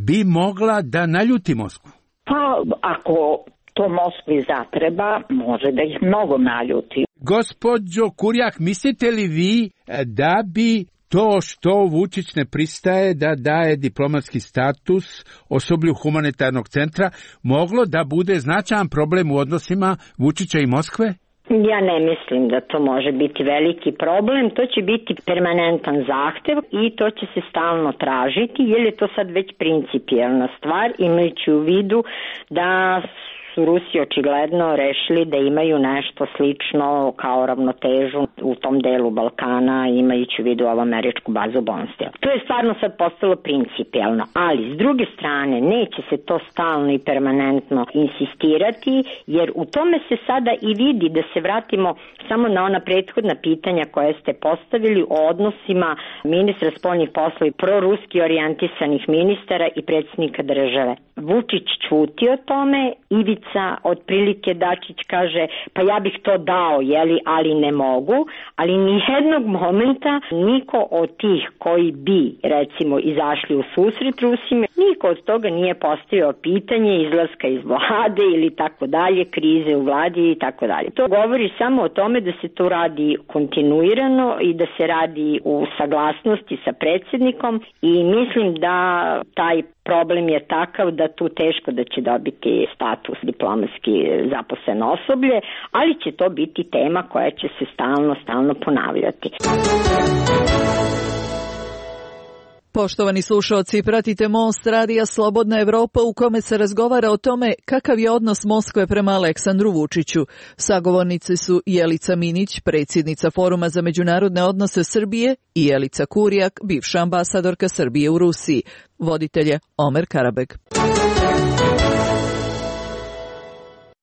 bi mogla da naljuti Moskvu? Pa, ako to Moskvi zatreba, može da ih mnogo naljuti. Gospođo Kurjak, mislite li vi da bi to što Vučić ne pristaje da daje diplomatski status osoblju humanitarnog centra moglo da bude značajan problem u odnosima Vučića i Moskve? Ja ne mislim da to može biti veliki problem, to će biti permanentan zahtev i to će se stalno tražiti, jer je to sad već principijelna stvar, imajući u vidu da su Rusi očigledno rešili da imaju nešto slično kao ravnotežu u tom delu Balkana, imajući u vidu ovu američku bazu Bonstila. To je stvarno sad postalo principijelno, ali s druge strane neće se to stalno i permanentno insistirati, jer u tome se sada i vidi, da se vratimo samo na ona prethodna pitanja koje ste postavili o odnosima ministra spoljnih poslova i proruski orijentisanih ministara i predsjednika države. Vučić ćuti o tome, Ivica granica, otprilike Dačić kaže pa ja bih to dao, ali ne mogu, ali nijednog momenta niko od tih koji bi recimo izašli u susret Rusima, niko od toga nije postavio pitanje izlaska iz vlade ili tako dalje, krize u vladi i tako dalje. To govori samo o tome da se to radi kontinuirano i da se radi u saglasnosti sa predsjednikom i mislim da taj problem je takav da tu teško da će dobiti status diplomatski zaposleno osoblje, ali će to biti tema koja će se stalno ponavljati. Poštovani slušaoci, pratite Most radija Slobodna Evropa u kome se razgovara o tome kakav je odnos Moskve prema Aleksandru Vučiću. Sagovornice su Jelica Minić, predsjednica Foruma za međunarodne odnose Srbije, i Jelica Kurijak, bivša ambasadorka Srbije u Rusiji. Voditelj je Omer Karabeg.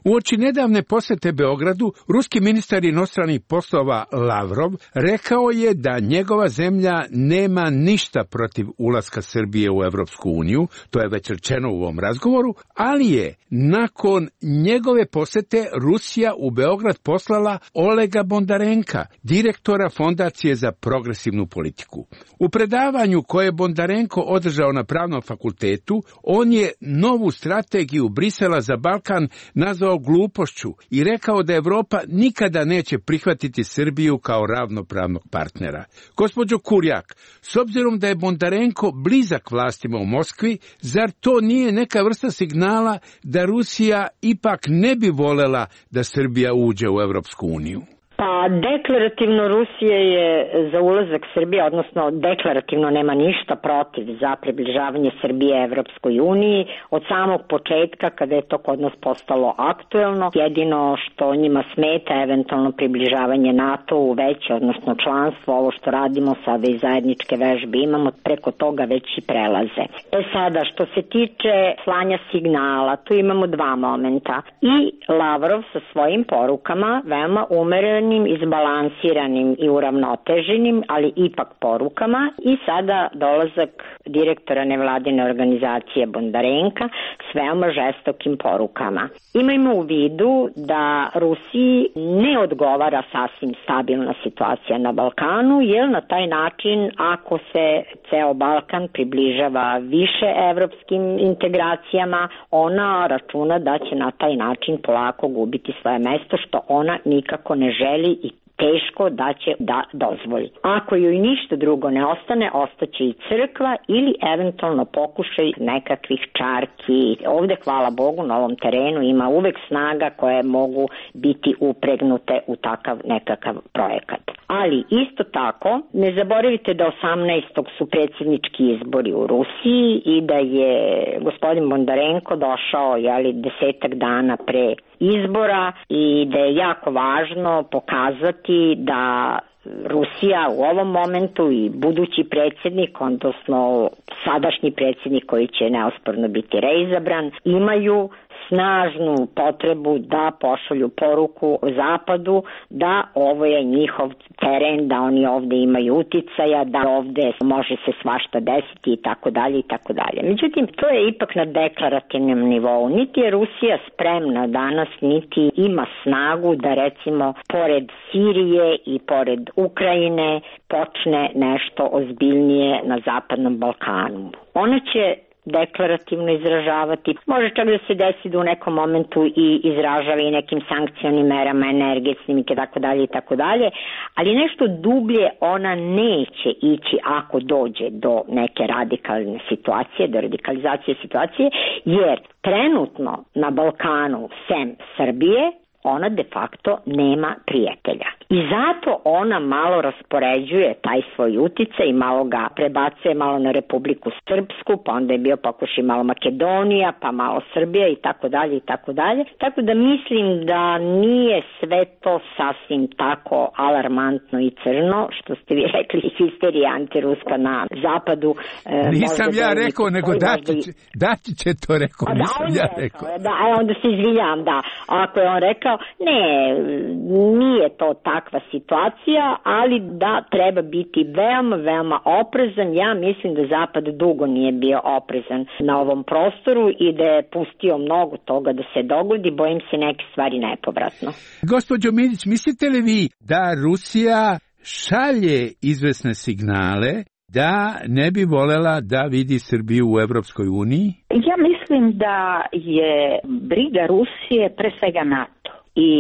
Uoči nedavne posete Beogradu, ruski ministar inostranih poslova Lavrov rekao je da njegova zemlja nema ništa protiv ulaska Srbije u Evropsku uniju, to je već rečeno u ovom razgovoru, ali je nakon njegove posete Rusija u Beograd poslala Olega Bondarenka, direktora Fondacije za progresivnu politiku. U predavanju koje je Bondarenko održao na Pravnom fakultetu, on je novu strategiju Brisela za Balkan nazvao glupošću i rekao da Evropa nikada neće prihvatiti Srbiju kao ravnopravnog partnera. Gospođo Kurjak, s obzirom da je Bondarenko blizak vlastima u Moskvi, zar to nije neka vrsta signala da Rusija ipak ne bi volela da Srbija uđe u Evropsku uniju? Pa deklarativno Rusija je za ulazak Srbije, odnosno deklarativno nema ništa protiv za približavanje Srbije Evropskoj uniji od samog početka kada je to kod nas postalo aktuelno. Jedino što njima smeta eventualno približavanje NATO-u veće, odnosno članstvo, ovo što radimo sada i zajedničke vežbe imamo, preko toga već i prelaze. Sada što se tiče slanja signala, tu imamo dva momenta. I Lavrov sa svojim porukama veoma umerenim, izbalansiranim i uravnoteženim, ali ipak porukama, i sada dolazak direktora nevladine organizacije Bondarenka s veoma žestokim porukama. Imajmo u vidu da Rusiji ne odgovara sasvim stabilna situacija na Balkanu, jer na taj način ako se ceo Balkan približava više evropskim integracijama, ona računa da će na taj način polako gubiti svoje mesto, što ona nikako ne želi i teško da će da dozvoli. Ako joj ništa drugo ne ostane, ostaće i crkva ili eventualno pokušaj nekakvih čarki. Ovde, hvala Bogu, na ovom terenu ima uvek snaga koje mogu biti upregnute u takav nekakav projekat. Ali isto tako, ne zaboravite da 18. su predsjednički izbori u Rusiji i da je gospodin Bondarenko došao 10 dana pre izbora i da je jako važno pokazati da Rusija u ovom momentu i budući predsjednik, odnosno sadašnji predsjednik koji će neosporno biti reizabran, imaju snažnu potrebu da pošalju poruku Zapadu da ovo je njihov teren, da oni ovde imaju uticaja, da ovde može se svašta desiti i tako dalje i tako dalje. Međutim, to je ipak na deklarativnom nivou. Niti je Rusija spremna danas, niti ima snagu da recimo pored Sirije i pored Ukrajine počne nešto ozbiljnije na Zapadnom Balkanu. Ona će deklarativno izražavati, može čak da se desi da u nekom momentu i izražava i nekim sankcionim merama, energetskim i tako dalje, ali nešto dublje ona neće ići ako dođe do neke radikalne situacije, do radikalizacije situacije, jer trenutno na Balkanu sem Srbije ona de facto nema prijatelja. I zato ona malo raspoređuje taj svoj uticaj i malo ga prebacuje malo na Republiku Srpsku, pa onda je bio pokušaj malo Makedonija, pa malo Srbija i tako dalje i tako dalje. Tako da mislim da nije sve to sasvim tako alarmantno i crno, što ste vi rekli, histerija antiruska na zapadu. Nisam ja rekao, nego Dačić je to rekao, nisam ja rekao. Da, onda se izvinjam, da. Ako je on rekao, ne, nije to tako. takva situacija, ali da treba biti veoma, veoma oprezan. Ja mislim da Zapad dugo nije bio oprezan na ovom prostoru i da je pustio mnogo toga da se dogodi, bojim se neke stvari nepovratno. Gospođo Milić, mislite li vi da Rusija šalje izvesne signale da ne bi volela da vidi Srbiju u Evropskoj uniji? Ja mislim da je briga Rusije pre svega NATO i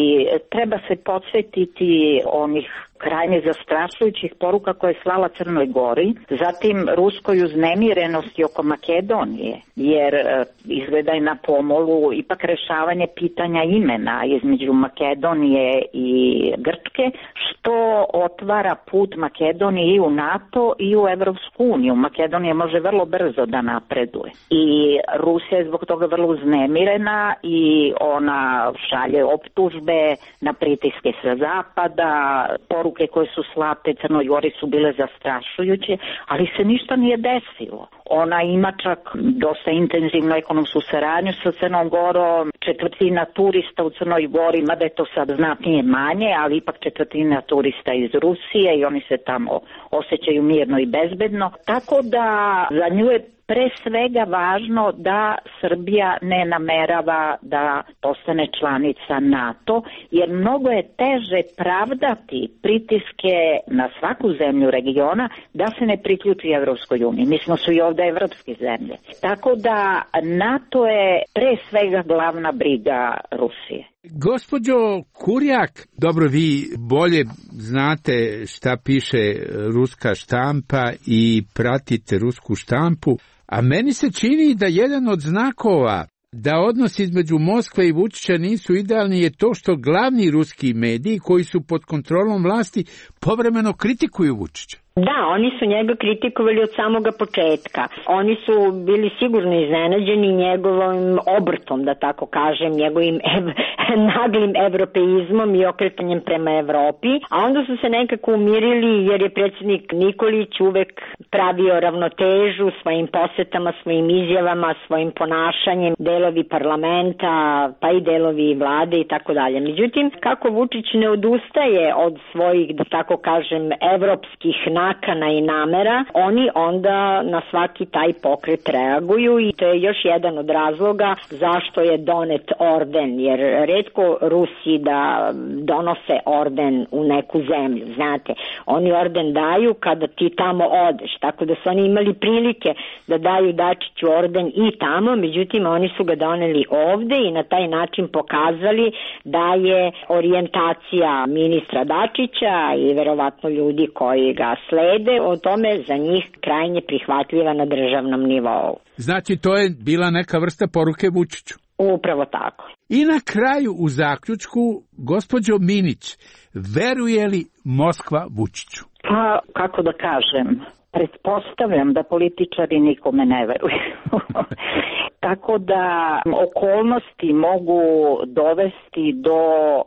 treba se podsjetiti onih krajnje zastrašujućih poruka koje je slala Crnoj Gori, zatim ruskoj uznemirenosti oko Makedonije, jer izgleda je na pomolu ipak rešavanje pitanja imena između Makedonije i Grčke, što otvara put Makedonije i u NATO i u Evropsku uniju. Makedonija može vrlo brzo da napreduje i Rusija je zbog toga vrlo uznemirena i ona šalje optužbe na pritiske sa zapada, poruke koje su slate Crnoj Gori su bile zastrašujuće, ali se ništa nije desilo. Ona ima čak dosta intenzivnu ekonomsku saradnju sa Crnom Gorom, četvrtina turista u Crnoj Gori, mada je to sad znatnije manje, ali ipak četvrtina turista iz Rusije i oni se tamo osjećaju mirno i bezbedno. Tako da za nju je pre svega važno da Srbija ne namerava da postane članica NATO, jer mnogo je teže pravdati pritiske na svaku zemlju regiona da se ne priključi Evropskoj uniji. Mi smo su i ovde evropske zemlje. Tako da NATO je pre svega glavna briga Rusije. Gospođo Kurjak, dobro, vi bolje znate šta piše ruska štampa i pratite rusku štampu, a meni se čini da jedan od znakova da odnos između Moskve i Vučića nisu idealni je to što glavni ruski mediji koji su pod kontrolom vlasti povremeno kritikuju Vučića. Da, oni su njega kritikovali od samoga početka. Oni su bili sigurno iznenađeni njegovom obrtom, da tako kažem, njegovim naglim evropeizmom i okretanjem prema Evropi, a onda su se nekako umirili jer je predsjednik Nikolić uvek pravio ravnotežu svojim posetama, svojim izjavama, svojim ponašanjem, delovi parlamenta, pa i delovi vlade i tako dalje. Međutim, kako Vučić ne odustaje od svojih, da tako kažem, evropskih nakana i namera, oni onda na svaki taj pokret reaguju i to je još jedan od razloga zašto je donet orden, jer retko Rusi da donose orden u neku zemlju, znate, oni orden daju kada ti tamo odeš, tako da su oni imali prilike da daju Dačiću orden i tamo, međutim oni su ga doneli ovde i na taj način pokazali da je orijentacija ministra Dačića i verovatno ljudi koji ga slede o tome za njih krajnje prihvatljiva na državnom nivou. Znači to je bila neka vrsta poruke Vučiću. Upravo tako. I na kraju u zaključku, gospođo Minić, veruje li Moskva Vučiću? Pa, kako da kažem, pretpostavljam da političari nikome ne veruju. Tako da okolnosti mogu dovesti do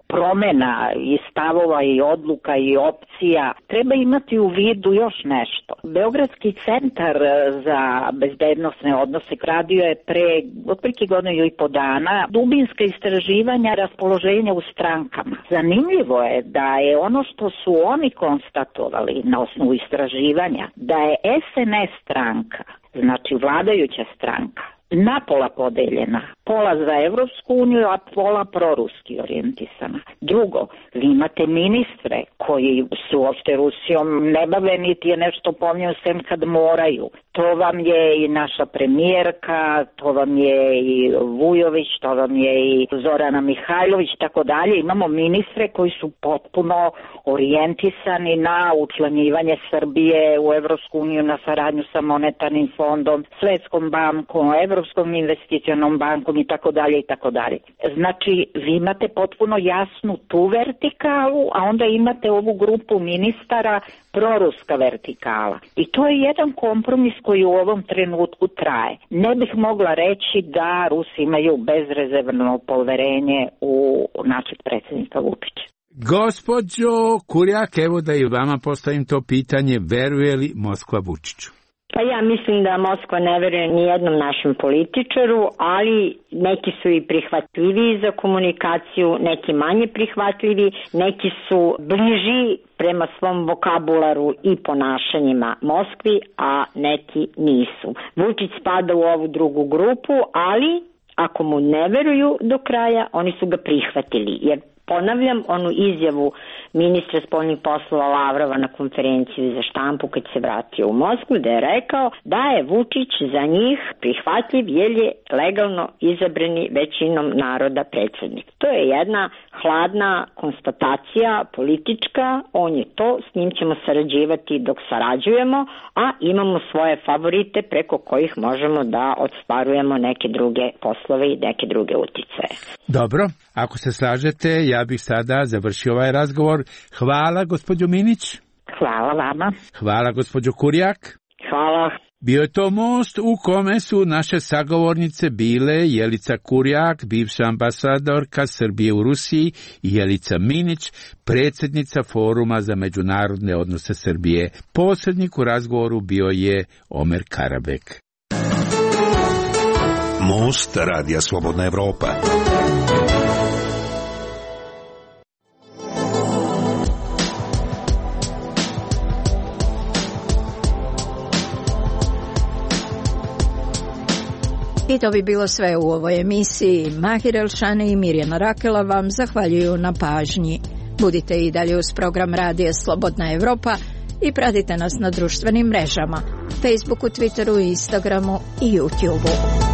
promena i stavova i odluka i opcija. Treba imati u vidu još nešto. Beogradski centar za bezbednosne odnose radio je pre otprilike godinu i po dana dubinska istraživanja raspoloženja u strankama. Zanimljivo je da je ono što su oni konstatovali na osnovu istraživanja, da je SNS stranka, znači vladajuća stranka, napola podeljena. Pola za Evropsku uniju, a pola proruski orijentisana. Drugo, vi imate ministre koji su uopšte Rusijom ne bave, niti je nešto pomnio sem kad moraju. To vam je i naša premijerka, to vam je i Vujović, to vam je i Zorana Mihajlović, tako dalje. Imamo ministre koji su potpuno orijentisani na učlanjivanje Srbije u Evropsku uniju, na saradnju sa monetarnim fondom, Svetskom bankom, Evropskom investicionom bankom i tako dalje i tako dalje. Znači, vi imate potpuno jasnu tu vertikalu, a onda imate ovu grupu ministara proruska vertikala. I to je jedan kompromis koji u ovom trenutku traje. Ne bih mogla reći da Rusi imaju bezrezervno poverenje u našeg predsjednika Vučića. Gospođo Kurjak, evo da i vama postavim to pitanje, veruje li Moskva Vučiću? Pa ja mislim da Moskva ne veruje ni jednom našem političaru, ali neki su i prihvatljiviji za komunikaciju, neki manje prihvatljivi, neki su bliži prema svom vokabularu i ponašanjima Moskvi, a neki nisu. Vučić spada u ovu drugu grupu, ali ako mu ne veruju do kraja, oni su ga prihvatili, jer ponavljam onu izjavu ministra spoljnih poslova Lavrova na konferenciji za štampu kad se vratio u Moskvu, da je rekao da je Vučić za njih prihvatljiv jer je legalno izabrani većinom naroda predsjednik. To je jedna hladna konstatacija politička, on je to, s njim ćemo sarađivati dok sarađujemo, a imamo svoje favorite preko kojih možemo da ostvarujemo neke druge poslove i neke druge uticaje. Dobro, ako se slažete, ja bih sada završio ovaj razgovor. Hvala, gospođo Minić. Hvala vama. Hvala, gospođo Kurjak. Hvala. Bio je to most u kome su naše sagovornice bile Jelica Kurjak, bivša ambasadorka Srbije u Rusiji, i Jelica Minić, predsjednica Foruma za međunarodne odnose Srbije. Posrednik u razgovoru bio je Omer Karabek. Most Radija Slobodna Evropa. I to bi bilo sve u ovoj emisiji. Mahir Elšane i Mirjana Rakela vam zahvaljuju na pažnji. Budite i dalje uz program Radija Slobodna Evropa i pratite nas na društvenim mrežama, Facebooku, Twitteru, Instagramu i YouTubeu.